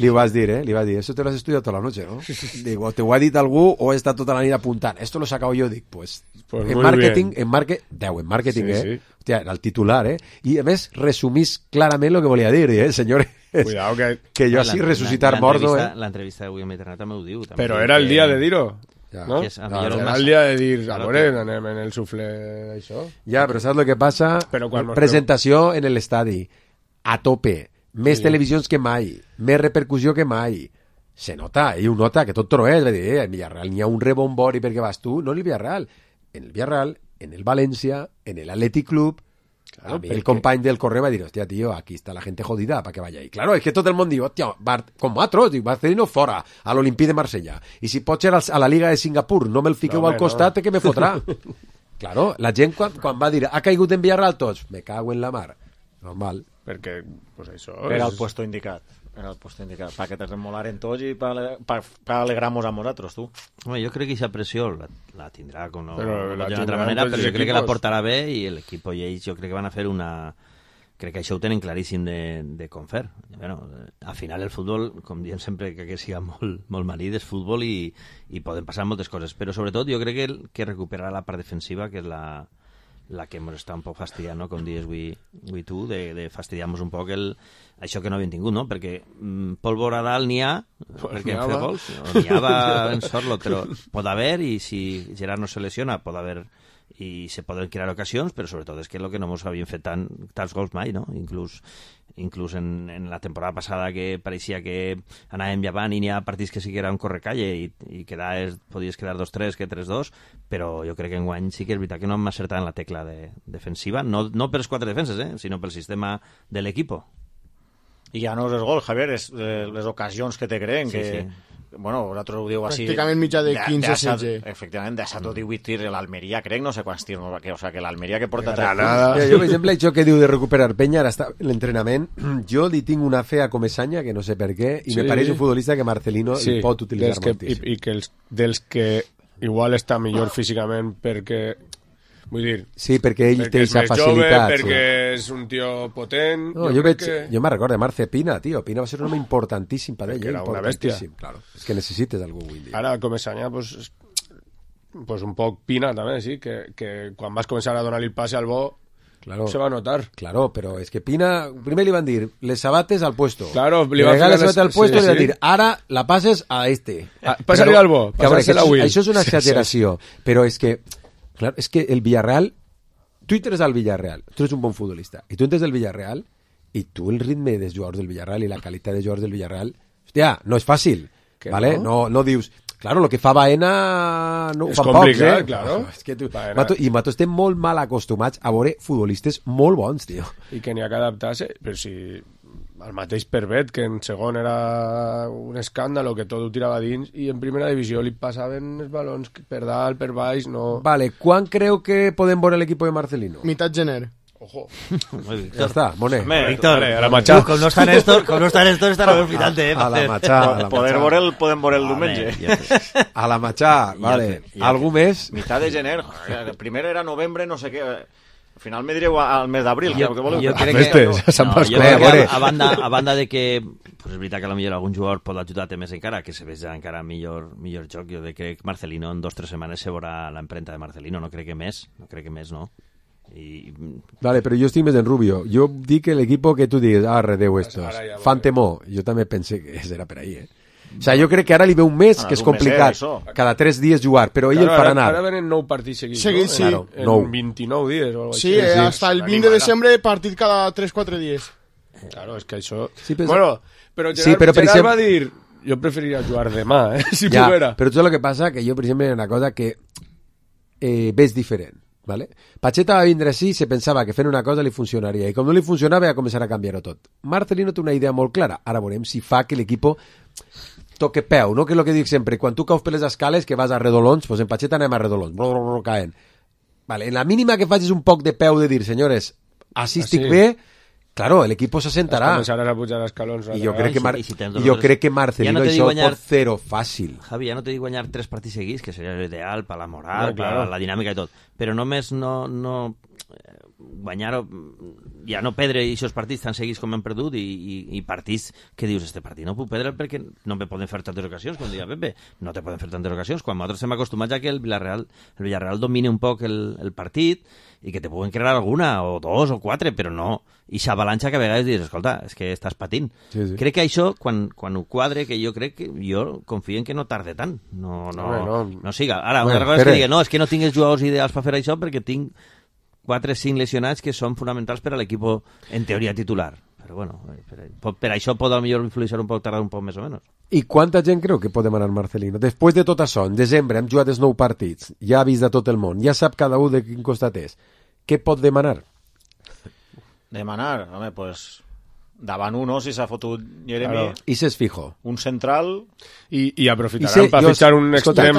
vaig dir, eso te lo has estudiado toda la noche, ¿no? Digo, te ho ha dit algú o he estat tota la nit apuntant. Esto lo he sacado yo, dic, pues en marketing, en marketing, sí. Hòstia, era el titular, I a més resumís clarament lo que volia dir, senyores. Cuidado que jo així resucitar mordo, L'entrevista d'avui a Internet també ho diu. També, però era el dia de dir-ho, no? Era el dia de dir, anem en el suflé d'això. Ja, però saps el que passa? Presentació en l'estadi, a tope, més televisions que mai, més repercussió que mai. Se nota, ell ho nota, que tot troés, va dir, en Villarreal n'hi ha un rebombori perquè vas tu, no en el Villarreal, en el València, en el Athletic Club. Claro, el company del correo va dir, hostia, tío, aquí está la gente jodida para que vaya ahí. Claro, es que todo el mundo diu, hostia, com Matros, diu, Marcelino fora, a l'Olimpí de Marsella. I si pot ser a la Liga de Singapur, no me'l fiqueu al costat, que me fotrà. Claro, la gent quan va dir, ha caigut en Villarreal tots, me cago en la mar. Normal. Perquè, pues això... Era el puesto indicat. Perquè te remolaren tots i per alegrar-nos a nosaltres, tu. Home, jo crec que aquesta pressió la tindrà com d'una altra manera, però jo crec que la portarà bé i l'equip i ells jo crec que van a fer una... Crec que això ho tenen claríssim de com fer. Bueno, al final el futbol, com diem sempre, que siga molt marit, és futbol i poden passar moltes coses, però sobretot jo crec que recuperarà la part defensiva, que és la que ens està un poc fastidiant, no? Com dius avui tu, de fastidiar-nos un poc això que no havíem tingut, no? Perquè pólvora dalt n'hi ha, perquè hem fet gols, n'hi ha en sort-lo, però pot haver, i si Gerard no se lesiona, pot haver, i se poden crear ocasions, però sobretot és que el que no ens havíem fet tants gols mai, no? Inclús en la temporada passada que pareixia que anàvem llevant i n'hi ha partits que sí que era un correcalle i podies quedar 2-3 que 3-2, però jo crec que enguany sí que és veritat que no hem acertat en la tecla defensiva, no pels 4 defenses, sinó pel sistema de l'equip. I ja no és el gol, Javier, és les ocasions que te creen, que... Bueno, vosaltres ho diu així... Pràcticament mitjà de 15-16. Efectivament, de 7 o 18 tirs l'Almeria, crec, no sé quants tirs, o sea, que l'Almeria que porta... Jo, per exemple, això que diu de recuperar penya, ara està l'entrenament, jo li tinc una fe a Comesaña, que no sé per què, i me pareix un futbolista que Marcelino el pot utilitzar moltíssim. I que dels que igual està millor físicament perquè... Vull dir... Sí, perquè ell té aquesta facilitat. Perquè és un tio potent... No, jo me'n recordo de Marce Pina, tio. Pina va ser un home importantíssim per ell. Era una bèstia. Claro. És que necessites algú avui dia. Ara, Comesaña, pues un poc Pina, també, sí, que quan vas començar a donar-li el passe al bo, se va notar. Claro, però és que Pina... Primer li van dir, les sabates al puesto. Claro, li van dir les sabates al puesto i li van dir, ara la passes a este. Passa-li al bo, passa-li a Will. Això és una exageració, però és que... Claro, es que el Villarreal, tú entres al Villarreal, tú eres un bon futbolista, y tú entres del Villarreal, y tú el ritme dels jugadors del Villarreal y la calidad de jugadors del Villarreal, hostia, no és fàcil, ¿vale? No dius, claro, lo que fa Baena no ho fan pocs, claro. És que Mato estem molt mal acostumats a veure futbolistes molt bons, tio. I que n'hi ha que adaptar-se, però si... El mateix Pervet, que en segon era un escàndalo, que tot ho tirava dins, i en primera divisió li passaven els balons per dalt, per baix, no... Vale, quan creu que podem veure l'equip de Marcelino? Mitad gener. Ojo. Ja està, Monet. Víctor, a la Machá. Com no està Néstor, estarà aprofitant, A la Machá. Podem veure el diumenge. A la Machá, vale. Algú més? Mitad de gener. Primer era novembre, no sé què... Al final me direu al mes d'abril. Jo crec que a banda de que pues és veritat que potser algun jugador pot ajudar-te més encara, que se veja encara millor joc, jo crec que Marcelino en 2 o 3 setmanes se veurà l'empremta de Marcelino, no crec que més, no? Vale, però jo estic més en Rubio. Jo dic que l'equip que tu digues, redeu estos, fan temor. Jo també pensé que era per ahí, O sea, jo crec que ara li ve un mes que és complicat, cada 3 dies jugar, però ell el farà anar. Ara venen 9 partits seguits, sí. Claro, en 29 dies o algo així. Sí, hasta el 20 de desembre partit cada 3-4 dies. Claro, és que això... Sí, però... Bueno, però Gerard va dir... Jo preferiria jugar demà, si poguera. Però tot el que passa que jo, per exemple, una cosa que ves diferent. ¿Vale? Pacheta va vindre així i se pensava que fent una cosa li funcionaria i com no li funcionava ja començarà a canviar-ho tot. Marcelino té una idea molt clara, ara veurem si fa que l'equip toque peu, no? Que és el que dic sempre, quan tu caus per les escales que vas a redolons, pues en Pacheta anem a redolons, caen. Vale, en la mínima que facis un poc de peu de dir, senyores, així estic bé, claro, el equipo se sentarà. Començaràs a pujar escalons. I jo crec que Marcelino això pot fer-ho fàcil. Javi, ja no t'he dit guanyar 3 partits seguits, que seria l'ideal per la moral, per la dinàmica i tot, però només no guanyar, ja no perdre aquests partits tan seguits com hem perdut i partits que dius, este partit no puc perdre perquè no me poden fer tantes ocasions, com deia Pepe, no te poden fer tantes ocasions, quan nosaltres estem acostumats a que el Villarreal domini un poc el partit i que te puguen crear alguna, o 2 o 4, però no, i s'avalanxa que a vegades dius, escolta, és que estàs patint. Sí. Crec que això, quan ho quadre, que jo crec que jo confio en que no tarde tant, no siga. Ara, una cosa és que digui, no, és que no tinc els jugadors ideals per fer això perquè tinc 4 o 5 lesionats que són fonamentals per a l'equip en teoria titular. Però bueno, per això pot millor influir un poc, tardar un poc més o menys. I quanta gent creu que pot demanar Marcelino? Després de tot això, en desembre hem jugat els 9 partits, ja ha vist de tot el món, ja sap cada un de quin costat és. Què pot demanar? Demanar? Home, pues davant uno, si s'ha fotut Jeremy. Claro. I s'és fijo. Un central. I aprofitaran per fitxar un extrem.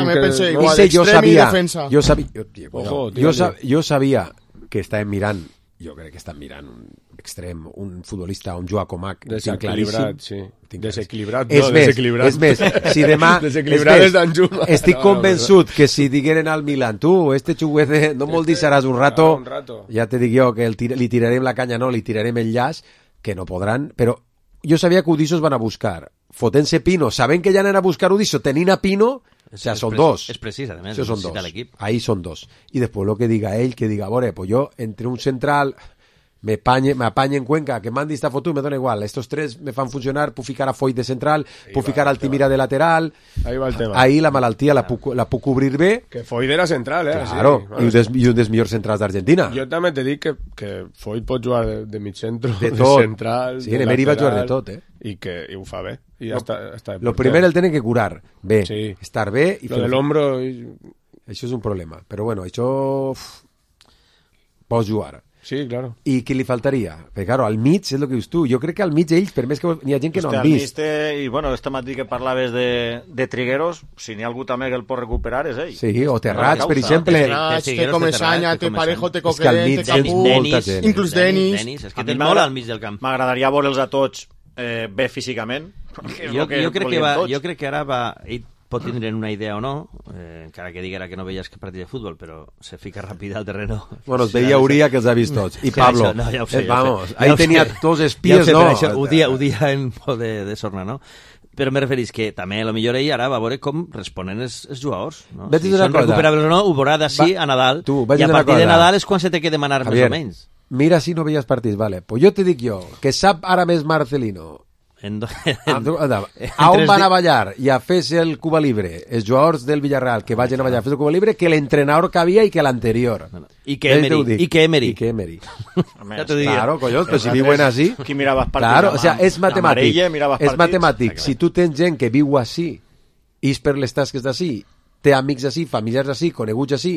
Jo sabia que estàvem mirant, jo crec que estan mirant un extrem, un futbolista, un Joao Comac, desequilibrat, sí. Desequilibrat, no, desequilibrat. És més, si demà... Desequilibrat és d'Anjuma. Estic convençut que si digueren al Milan, tu, este xuguete, no me'l deixaràs un rato, ja te dic jo que li tirarem la canya, no, li tirarem el llaç, que no podran, però jo sabia que Udissos van a buscar, fotent-se Pino, sabent que ja anen a buscar Udisso, tenint a Pino, o sea, són 2. És precís, a més, necessita l'equip. Ahí són 2. I després el que diga ell, que diga, a veure, pues jo, entre un central... me apañe en Cuenca, que Mandy está fotudo, me da igual, estos 3 me fan funcionar, puc ficar a Foyt de central, puc ficar a Altimira de lateral, ahí va el tema. Ahí la malaltia la puc cobrir bé, que Foyt era central, claro, sí. I un dels millors centrals d'Argentina. Jo també te dic que Foyt pot jugar de mig centro, de central, sí, en Emery va jugar de tot, i ho fa bé, i ja està lo primer el tenen que curar bé, sí. Estar bé i lo de l'hombro això és un problema, però bueno, això pots jugar. Sí, claro. I què li faltaria? Perquè, claro, al mig, és el que dius tu, jo crec que al mig ells, per més que hi ha gent que no han vist. I, bueno, este matí que parlaves de Trigueros, si n'hi ha algú també que el pot recuperar és ell. Sí, o Terrats, per exemple. Terrats, te Comesaña, te Parejo, te Coquelin, te Capú, inclús Denis. És que tens molt al mig del camp. M'agradaria veure'ls a tots bé físicament. Jo crec que ara va... pot tindre una idea o no, encara que diguera que no veies que partit de futbol, però se fica ràpid al terreno. Bueno, es veia Uria que els ha vist tots. I Pablo, no, ja ho sé, vamos, ahí tenia dos espies, no? Això, ho dia en por de sorna, no? Però me referís que també a lo millor ell ara va veure com responen els jugadors, no? Si són recuperables o no, ho veurà d'ací a Nadal, i a partir de Nadal és quan se té que demanar més o menys. Mira si no veies partits, vale. Pues jo te dic jo, que sap ara més Marcelino a on van a ballar i a fer-se el Cuba Libre els jugadors del Villarreal que vagin a ballar a fer el Cuba Libre que l'entrenador que havia i que l'anterior i que Emery claro, collons, però si viuen així qui mirava partits claro, o sea, és matemàtic si tu tens gent que viu així és per les tasques d'ací té amics així, familiars així, coneguts així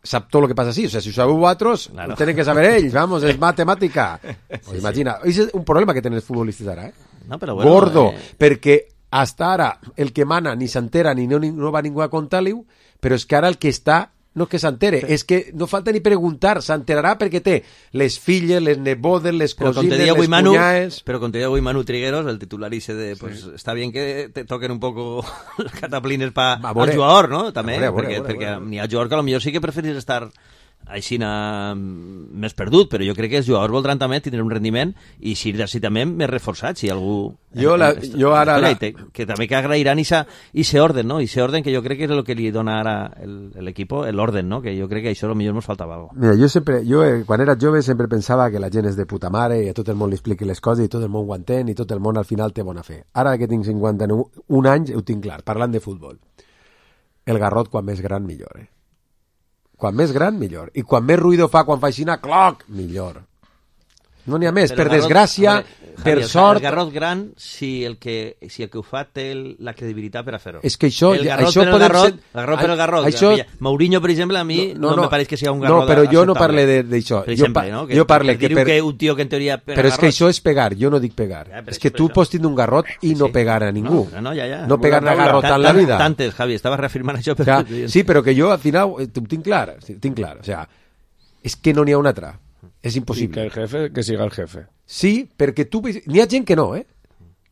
sap tot el que passa així, o sea, si ho sabeu vosaltres claro. Tenen que saber ells, vamos, és matemàtica pues imagina, és un problema que tenen els futbolistes ara, no, però bueno, gordo, perquè hasta ara el que mana ni s'entera ni no va ningú a contar-li, però és que ara el que està no és que s'entere, és que no falta ni preguntar, s'enterarà perquè té les filles, les nebodes, les cosines, les cuñades... Però com te diu avui Manu Trigueros, el titular dice de, pues está bien que te toquen un poco los cataplines al jugador, ¿no? També, perquè n'hi ha jugador que a lo millor sí que preferís estar així més perdut, però jo crec que els jugadors voldran també tindre un rendiment i si també més reforçat, si algú... Jo ara... Que també que agrairan ese orden, no? Ese orden que jo crec que és el que li dona ara l'equip, l'orden, no? Que jo crec que això potser ens faltava algo. Mira, jo quan era jove sempre pensava que la gent és de puta mare i a tot el món li expliqui les coses i tot el món ho entén i tot el món al final té bona fe. Ara que tinc 51 anys ho tinc clar, parlant de futbol. El garrot quan més gran millor, Quan més gran, millor. I quan més ruïdo fa, quan fa aixina, cloc, millor. No n'hi ha més, per desgràcia, per sort... El garrot gran, si el que ho fa té la credibilitat per a fer-ho. És que això... El garrot per el garrot. Mourinho, per exemple, a mi no me pareix que sigui un garrot acceptable. No, però jo no parle d'això. Jo parle que... Diu que un tio que en teoria pega però és que això és pegar, jo no dic pegar. És que tu pots tindre un garrot i no pegar a ningú. No pegar a garrotar en la vida. Tantes, Javi, estava reafirmant això. Sí, però que jo al final ho tinc clar. O sea, és que no n'hi ha una altra. És impossible. I que el jefe, que siga el jefe. Sí, perquè tu... N'hi ha gent que no,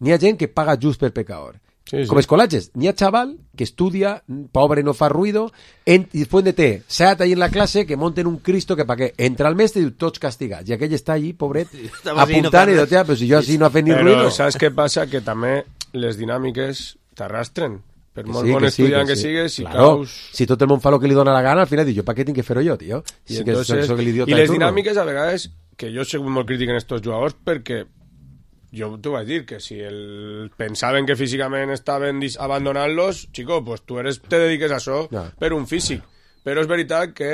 N'hi ha gent que paga just per pecador. Sí. Com escolatges. N'hi ha chaval que estudia, pobre, no fa ruido, i després de té 7 ahí en la classe que monten un Cristo que pa què? Entra el mestre i diu, tots castigats. I aquell està allí, pobret, apuntant i diu, però si jo així no ha fet ni ruido. Però saps què passa? Que també les dinàmiques t'arrastren. Per molt bon estudiant que sigues, si caus... Si tot el món fa el que li dona la gana, al final diu, jo per què tinc que fer-ho jo, tio? I les dinàmiques, a vegades, que jo soc molt crític en estos jugadors, perquè jo t'ho vaig dir, que si pensaven que físicament estaven abandonant-los, chico, pues tu te dediques a això per un físic. Però és veritat que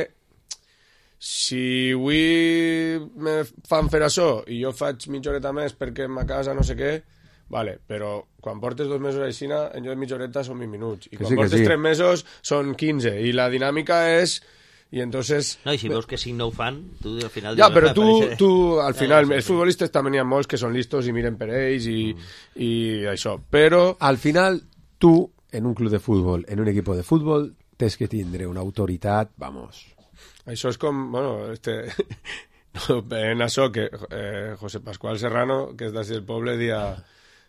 si avui me fan fer això i jo faig mitja horeta més perquè a casa no sé què, vale, però quan portes 2 mesos aixina, en lloc de mitja horeta són 20 minuts. I quan portes 3 mesos són 15. I la dinàmica és... I entonces... No, i si veus que 5 no ho fan, tu al final... Ja, però tu al final... Els futbolistes també n'hi ha molts que són listos i miren per ells i això. Però... Al final, tu, en un club de futbol, en un equip de futbol, tens que tindre una autoritat, vamos... Això és com... Bueno, en això que José Pascual Serrano, que és d'ací del poble, dia...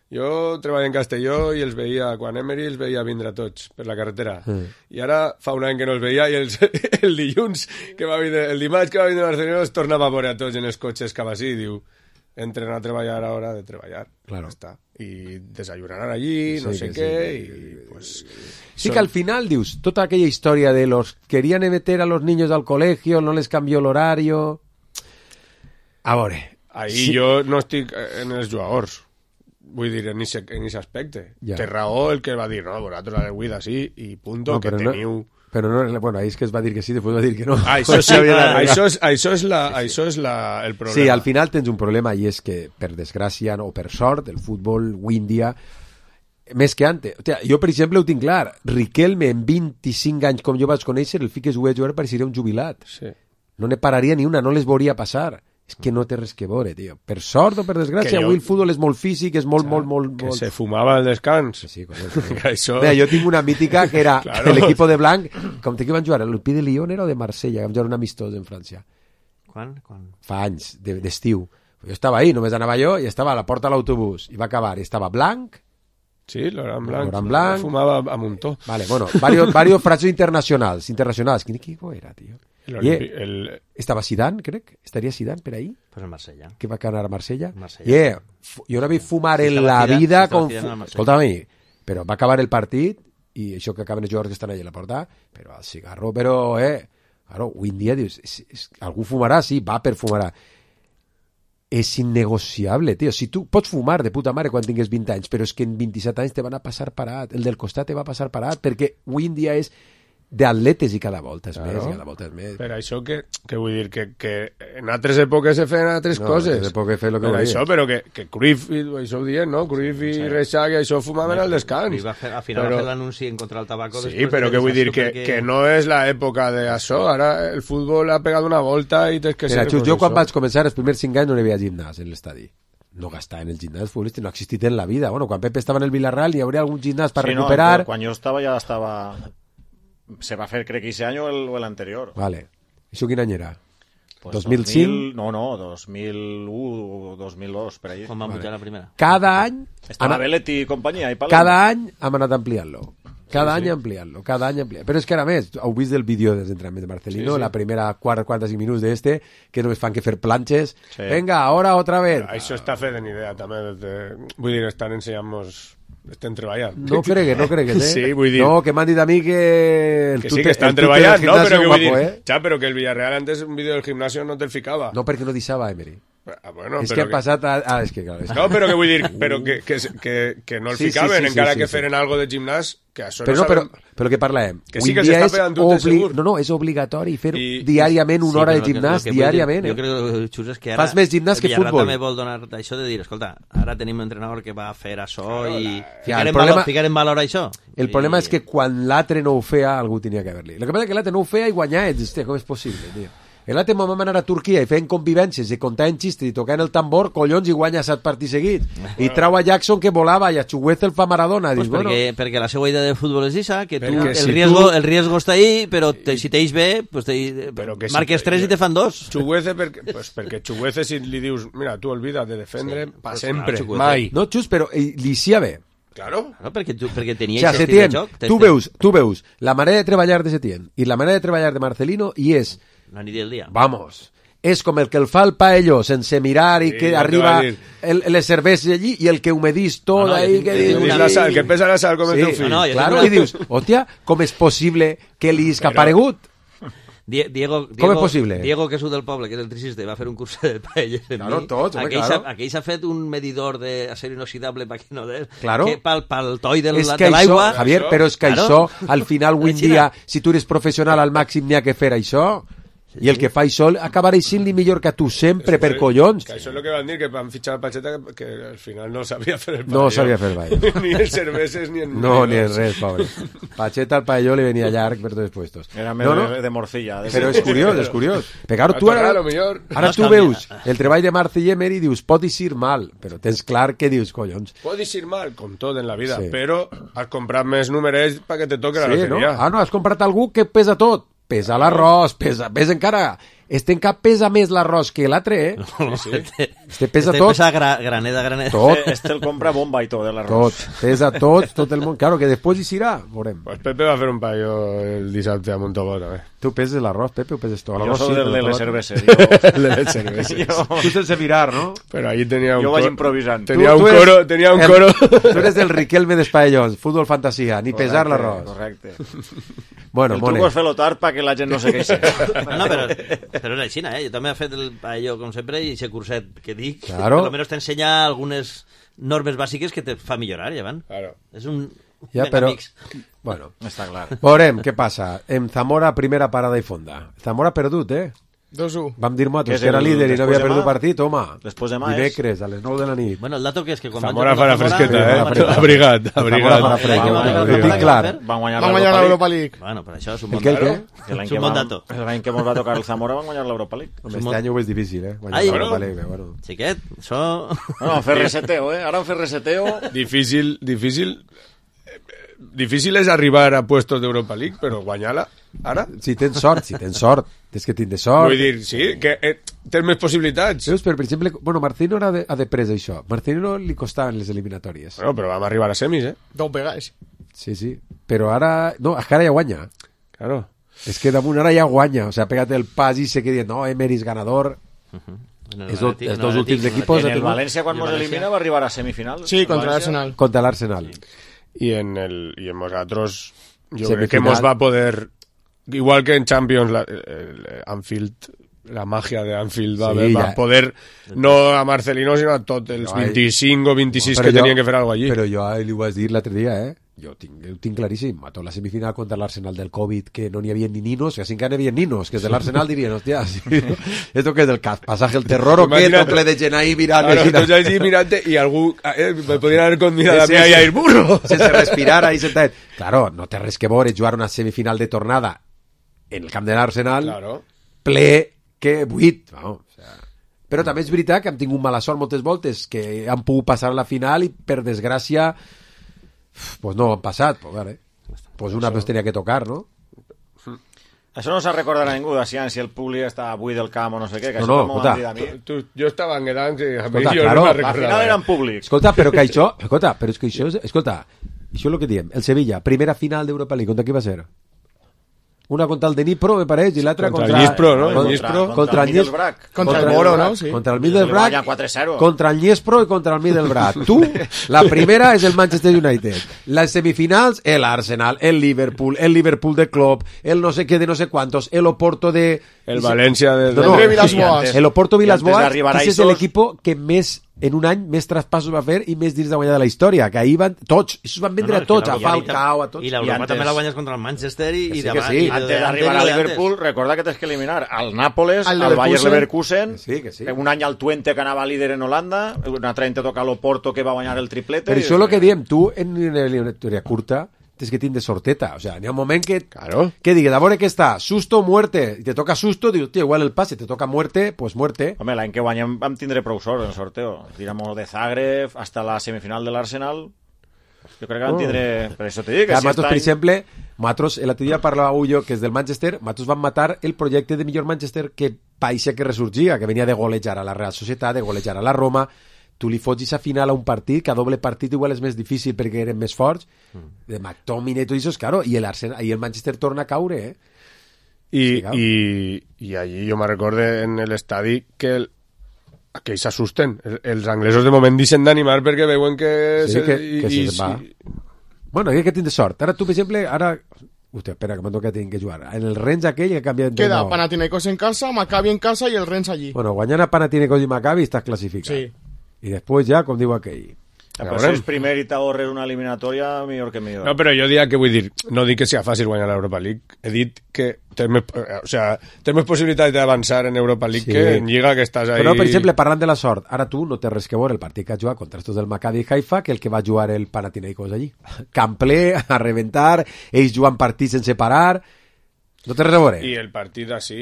Jo treballo en Castelló i els veia, quan Emery els veia vindre tots per la carretera. I ara fa un any que no els veia i el dilluns que va vindre, el dimarts que va vindre a Barcelona els tornava a veure a tots en els cotxes cap així i diu, entren a treballar a hora de treballar. Claro. Està. I desayunaran allí, no sé què, i pues... Sí que al final dius, tota aquella història de los querían meter a los niños al colegio, no les cambió el horario... A veure... Ahí jo no estic en els jugadors. Vull dir, en aquest aspecte. Té raó el que va dir, no, vosaltres a l'Eguida sí, i punto, no, que teniu... Però no, bueno, ahí és que es va dir que sí, després va dir que no. Això és el problema. Sí, al final tens un problema i és que, per desgràcia o per sort, el futbol avui en dia, més que antes. O sea, jo, per exemple, ho tinc clar. Riquelme, en 25 anys, com jo vaig conèixer, el fiques ho vaig veure, pareixeria un jubilat. Sí. No ne pararia ni una, no les veuria passar. És que no té res que veure, tio. Per sort o per desgràcia, avui el futbol és molt físic, és molt... Que se fumava al descans. Sí, això... Mira, jo tinc una mítica que era l'equip de Blanc, com que van jugar, el Pi de Lyon era o de Marsella, que vam jugar un amistós en França. Quan? Fa anys, d'estiu. Jo estava ahí, només anava jo, i estava a la porta de l'autobús, i va acabar, i estava Blanc... Sí, Laurent Blanc. Fumava a muntó. Vale, bueno, varios frases internacionals. Quin equip era, tio? Estava Zidane, crec. Estaria Zidane per ahí. Pues el Marsella. Que va anar a Marsella. Jo no vaig fumar en la vida con... Escolta-me, però va acabar el partit i això que acaben els jugadors que estan allà a la porta, però el cigarro, claro, avui en dia dius, algú fumarà, sí, va per fumarà. És innegociable, tio. Si tu pots fumar de puta mare quan tingues 20 anys, però és que en 27 anys te van a passar parat. El del costat te va passar parat, perquè avui en dia és d'atletes i cada volta és més. Per això que vull dir que en altres èpoques se feien altres coses. En altres èpoques feien el que volia. Això, però que Cruyff, això ho dient, no? Cruyff i Reixac i això fumaven al descans. Al final va fer l'anunci en contra del tabaco. Sí, però que vull dir que no és l'època d'això. Ara el futbol ha pegat una volta i tens que ser... Mira, jo quan vaig començar, els primers 5 anys no hi havia gimnàs en l'estadi. No gastar en el gimnàs futbolístic, no ha existit en la vida. Bueno, quan Pepe estava en el Villarreal hi hauria algun gimnàs per recuperar... Quan jo estava ja estava... Se va fer, crec que ese año o el anterior. Vale. ¿Això quin any era? Pues 2005? No, 2001 o 2002, per ahí. Quan va pujar la primera? Cada any... Estava Bellet i companyia. Cada any hem anat ampliant-lo. Cada any ampliant-lo. Però és que, a més, heu vist el vídeo dels entrenaments de Marcelino, la primera 45 minuts d'este, que només fan que fer planxes. Venga, ahora otra vez. Això està fet en idea, també. Vull dir, estan ensenyant-nos... Estem treballant. No cregues, Sí, vull dir... No, que m'han dit a mi que... Que sí, que estan treballant, no? Però que vull dir... Ja, però que el Villarreal antes un vídeo del gimnasio no te'l ficava. No, perquè no deixava, Emery. Bueno, és que ha passat és que clar, no, però que vull dir que no el ficaven encara que feren algo de gimnàs que això però que parlem que sí que s'està pegant tot segur és obligatori fer diàriament una hora de gimnàs diàriament jo crec que Xus és que ara fas més gimnàs que futbol. també vol donar això de dir, escolta, ara tenim un entrenador que va fer això i ficar en valor això. El problema és que quan l'altre no ho feia algú tenia que haver-li. El que passa és que l'altre no ho feia i guanyar com és possible, tio. L'altre vam anar a Turquia i fent convivències i contant xistes i tocant el tambor, collons, i guanya 7 partits seguits. I trau a Jackson que volava i a Chugueza el fa Maradona. Pues perquè la seva idea de futbol és esa, que el riesgo està ahí, però si t'eix bé, pues marques 3 i te fan 2. Chugueza, perquè Chugueza si li dius, mira, tu olvida de defendre pa sempre, mai. No, Xus, però li sia bé. Claro. No, perquè tenia estil de joc. Tu veus la manera de treballar de Setién i la manera de treballar de Marcelino i és la nit del dia. Vamos. És com el que el fa el paello sense mirar i que arriba les cerveses allí i el que humedís tot ahí. El que pesa la sal com el teu fill. Claro, i dius, hòstia, com és possible que li és que ha aparegut? Com és possible? Diego, que és del poble, que és electricista, va fer un curs de paelles. Claro, tots, claro. Aquell s'ha fet un medidor d'acer inoxidable per que no des, claro. que pel toll de l'aigua... Javier, però és que això, al final, avui en dia, si tu eres professional al màxim, n'hi ha que fer això. I el que fa això acabarà sent-li millor que tu sempre, per collons. Que això és el que van dir, que van fitxar a Pacheta, que al final no sabia fer el paelló. No sabia fer el paelló. Ni en cerveses, ni en... No, ni en res, pobre. Pacheta al paelló li venia llarg per tots els puestos. Era més de morcilla. Però és curiós. Però tu ara tu veus el treball de Marce i Emery i dius, pot eixir mal, però tens clar que dius, collons. Pot eixir mal, com tot en la vida, però has comprat més números perquè te toque la loteria. No, has comprat algú que pesa tot. Pesa l'arròs, pesa encara. Este en cap pesa més l'arròs que l'altre, eh? Este pesa tot. Pesa graneda. Tot. Este el compra bomba i tot, l'arròs. Pesa tot el món. Claro, que després hi serà, veurem. Pues Pepe va fer un paio el dissabte a Montobó, també. Tu peses l'arròs, Pepe, o peses tot? Jo soc de les cerveses. El de les cerveses. Tu sense mirar, no? Però allí tenia un coro. Jo vaig improvisant. Tenia un coro. Tu eres del Riquelme d'Espallons, futbol fantasia, ni pesar l'arròs. Correcte. Bueno, el truco és fer-lo tard perquè la gent no se queixi. No, però és així, jo també he fet el paello com sempre i ese curset que dic, claro. Per almenys t'ensenya algunes normes bàsiques que te fa millorar, llevant. Claro. És un... però... Bueno, està clar. Veurem què passa. En Zamora, primera parada i fonda. Zamora perdut, 2-1. Vam dir nosaltres que era líder i no havia perdut partit, home. Després de dimecres, a les 9 de la nit. Bueno, el dato que és que quan Zamora farà fresqueta, Abrigat. Ho tinc clar. Van guanyar l'Europa League. Bueno, per això és un bon dato. L'any que ens va tocar el Zamora van guanyar l'Europa League. Este any ho és difícil, guanyar l'Europa League. Xiquet, això... No, fer reseteo, Ara fer reseteo... Difícil és arribar a puestos d'Europa League, però guanyar-la, ara... Si tens sort. Tens que tindre sort. Vull dir, sí, que tens més possibilitats. Veus, per exemple, Marcelino ha de pres això. Marcelino li costaven les eliminatòries. Bueno, però vam arribar a semis, Dos vegades. Sí, però ara... No, és que ara ja guanya. Claro. És que damunt ara ja guanya. O sea, pégate el pas i se quedi, no, Emery és ganador... Els dos últims equipos... En el València, quan nos elimina, va arribar a semifinal. Sí, contra l'Arsenal. Contra l'Arsenal. Y en nosotros yo creo que hemos va a poder, igual que en Champions, Anfield, la magia de Anfield va a poder, no a Marcelino, sino a tots els 25 o 26 que tenien que fer alguna cosa allí. Però jo li ho vaig dir l'altre dia, Jo ho tinc claríssim. A tota la semifinal contra l'Arsenal del Covid, que no n'hi havia ni ninos, que sí que n'hi havia ninos, que és de l'Arsenal dirien, hòstia, esto que és del pasaje, el terror o què, tocle de gent ahí mirant. Claro, tots allí mirant i algú me podien haver convidat a mi a ir burro. Sense respirar ahí sentadet. Claro, no té res que veure jugar una semifinal de tornada en el camp de l'Arsenal, ple que buit, no? Però també és veritat que hem tingut mala sort moltes voltes, que han pogut passar a la final i per desgràcia pues no han passat, pues una vez tenia que tocar, no? Això no s'ha recordat a ningú, si el públic està buit del camp o no sé què, que no, això m'ho han dit a mi. Jo estava engedant, que a mi jo no me'n recordava. Al final eren públics. Escolta, però és que això, escolta, Això és el que diem. El Sevilla, primera final d'Europa League, contra qui va ser? Una contra el Dnipro, me pareix, i l'altra contra el Dnipro, ¿no? Contra el Middlesbrough. Contra el Moro, ¿no? Sí. Contra el Middlesbrough, 4-0. contra el Dnipro i contra el Middlesbrough. Tu, la primera és el Manchester United. Les semifinals, el Arsenal, el Liverpool de Klopp, el no sé què de no sé quantos, el Oporto de... El València de... No, Villas-Boas. El Oporto Villas-Boas, que és l'equip que més en un any més traspassos va fer i més dins de guanyar de la història, que ahir van tots, això van vendre a tots, a Falcao, a tots. I l'Europa també la guanyes contra el Manchester i davant. Sí. Antes d'arribar a Liverpool, recorda que tens que eliminar al Nàpoles, al Bayer Leverkusen, un any al Twente que anava líder en Holanda, un altre any te toca l'Oporto que va guanyar el triplete. Però això és el que diem, tu en una eliminatòria curta tens que tindre sorteta, o sea, n'hi ha un moment que digues, a veure què està, susto o muerte, i te toca susto, dius, tío, igual el pase, te toca muerte, pues muerte. Home, l'any que guanyem vam tindre prou sort en el sorteo, tiramos de Zagreb hasta la semifinal de l'Arsenal, jo crec que vam tindre, per això te dic, que si per exemple, nosaltres, l'altre dia parlava Ullo, que és del Manchester, nosaltres vam matar el projecte de millor Manchester que païssa que ressorgia, que venia de golejar a la Real Societat, de golejar a la Roma. Tu li fots a final a un partit, que a doble partit igual és més difícil perquè eren més forts, de McTominay i tot això, claro, i el Manchester torna a caure, I allí jo me recorde en l'estadi que aquells s'assusten. Els anglesos de moment deixen d'animar perquè veuen que... Sí, que se va. Bueno, hay que tindre sort. Ara tu, per exemple, Hòstia, espera, que m'ha tocat que jugar. En el Rennes aquell que canvia d'entrenador. Queda Panathinaikos en casa, Maccabi en casa i el Rennes allí. Bueno, guanyant a Panathinaikos i Maccabi estàs classificat. Sí. I després ja, com diu aquell... Però si és primer i t'ahorres una eliminatòria, millor que millor. No, però jo diria que vull dir, no dic que sigui fàcil guanyar l'Europa League, he dit que tens més possibilitat d'avançar en Europa League que en Lliga, que estàs ahí... Però, per exemple, parlant de la sort, ara tu no té res que veure el partit que has jugat contra estos del Maccabi Haifa que el que va jugar el Panathinaikos allí. Camp ple, a reventar, ells jugant partits sense parar... No té res a veure. I el partit així...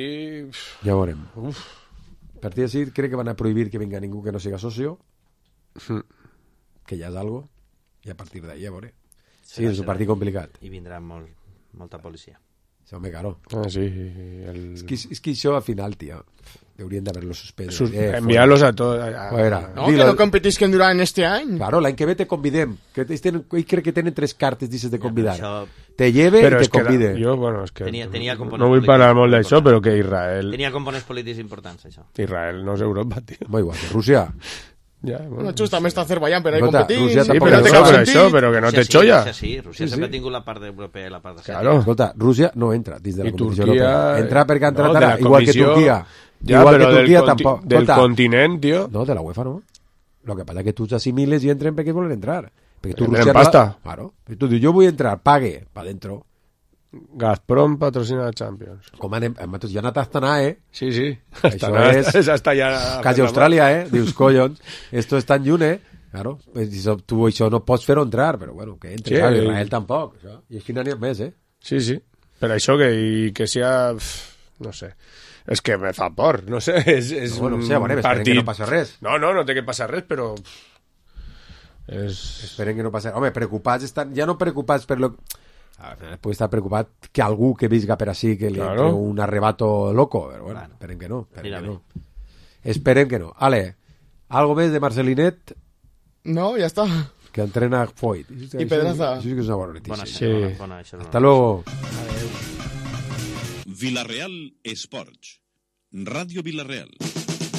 Ja veurem. El partit així crec que van a prohibir que venga ningú que no siga socio. Que ja és algo, i a partir d'ahí, a veure. Sí, és un partit complicat. I vindrà molta policia. Home, claro. Sí. És que això al final, tio, haurien d'haver-lo suspès. Enviar-los a tots. No, que no competisquen durant este any. Claro, l'any que ve te convidem. Ells crec que tenen 3 cartes dices de convidar. Te lleve i te convide. Jo, bueno, és que tenia no vull parlar molt d'això, però que Israel... Tenia components polítics importants, això. Israel no és Europa, tio. Molt igual, Rússia... Ja, bueno, justament està Azerbaiyán per ahí competir. Però que no té xolla. Rússia sempre ha tingut la part europea i la part asiàtica. Claro. Escolta, Rússia no entra dins de la competició europea. Entra perquè ha entrat ara, igual que Turquia. Ja, igual que Turquia tampoc. Del continent, tio. No, de la UEFA no. Lo que pasa es que tu t'assimiles i entren perquè volen entrar. Perquè tu Rússia pasta. Claro. I tu dius, jo vull entrar, pague, pa dentro. Gazprom patrocina la Champions. Com anem? Ja ha anat a Astana, Sí. Això és hasta ja... quasi Austràlia, Dius, collons, esto és tan lluny, Claro, pues tu això no pots fer-ho entrar, però bueno, que entri, claro, Israel tampoc. Això. I així n'hi ha més, Sí. Per això que sia... No sé. És que me fa por, no sé. És bueno, un partit... Esperen que no passa res. No té que passar res, però... Esperen que no passi res. Home, preocupats estan... Ja no preocupats per lo... Puede estar preocupat que algú que visga per així que li entre un arrebato loco, però bueno, esperen que no. Esperem que no. Ale, algo més de Marcelinet? No, ja està. Que entrena Foyt. I Pedraza. Això sí que és una bona notícia. Bona, hasta luego. Villarreal Esports. Radio Villarreal.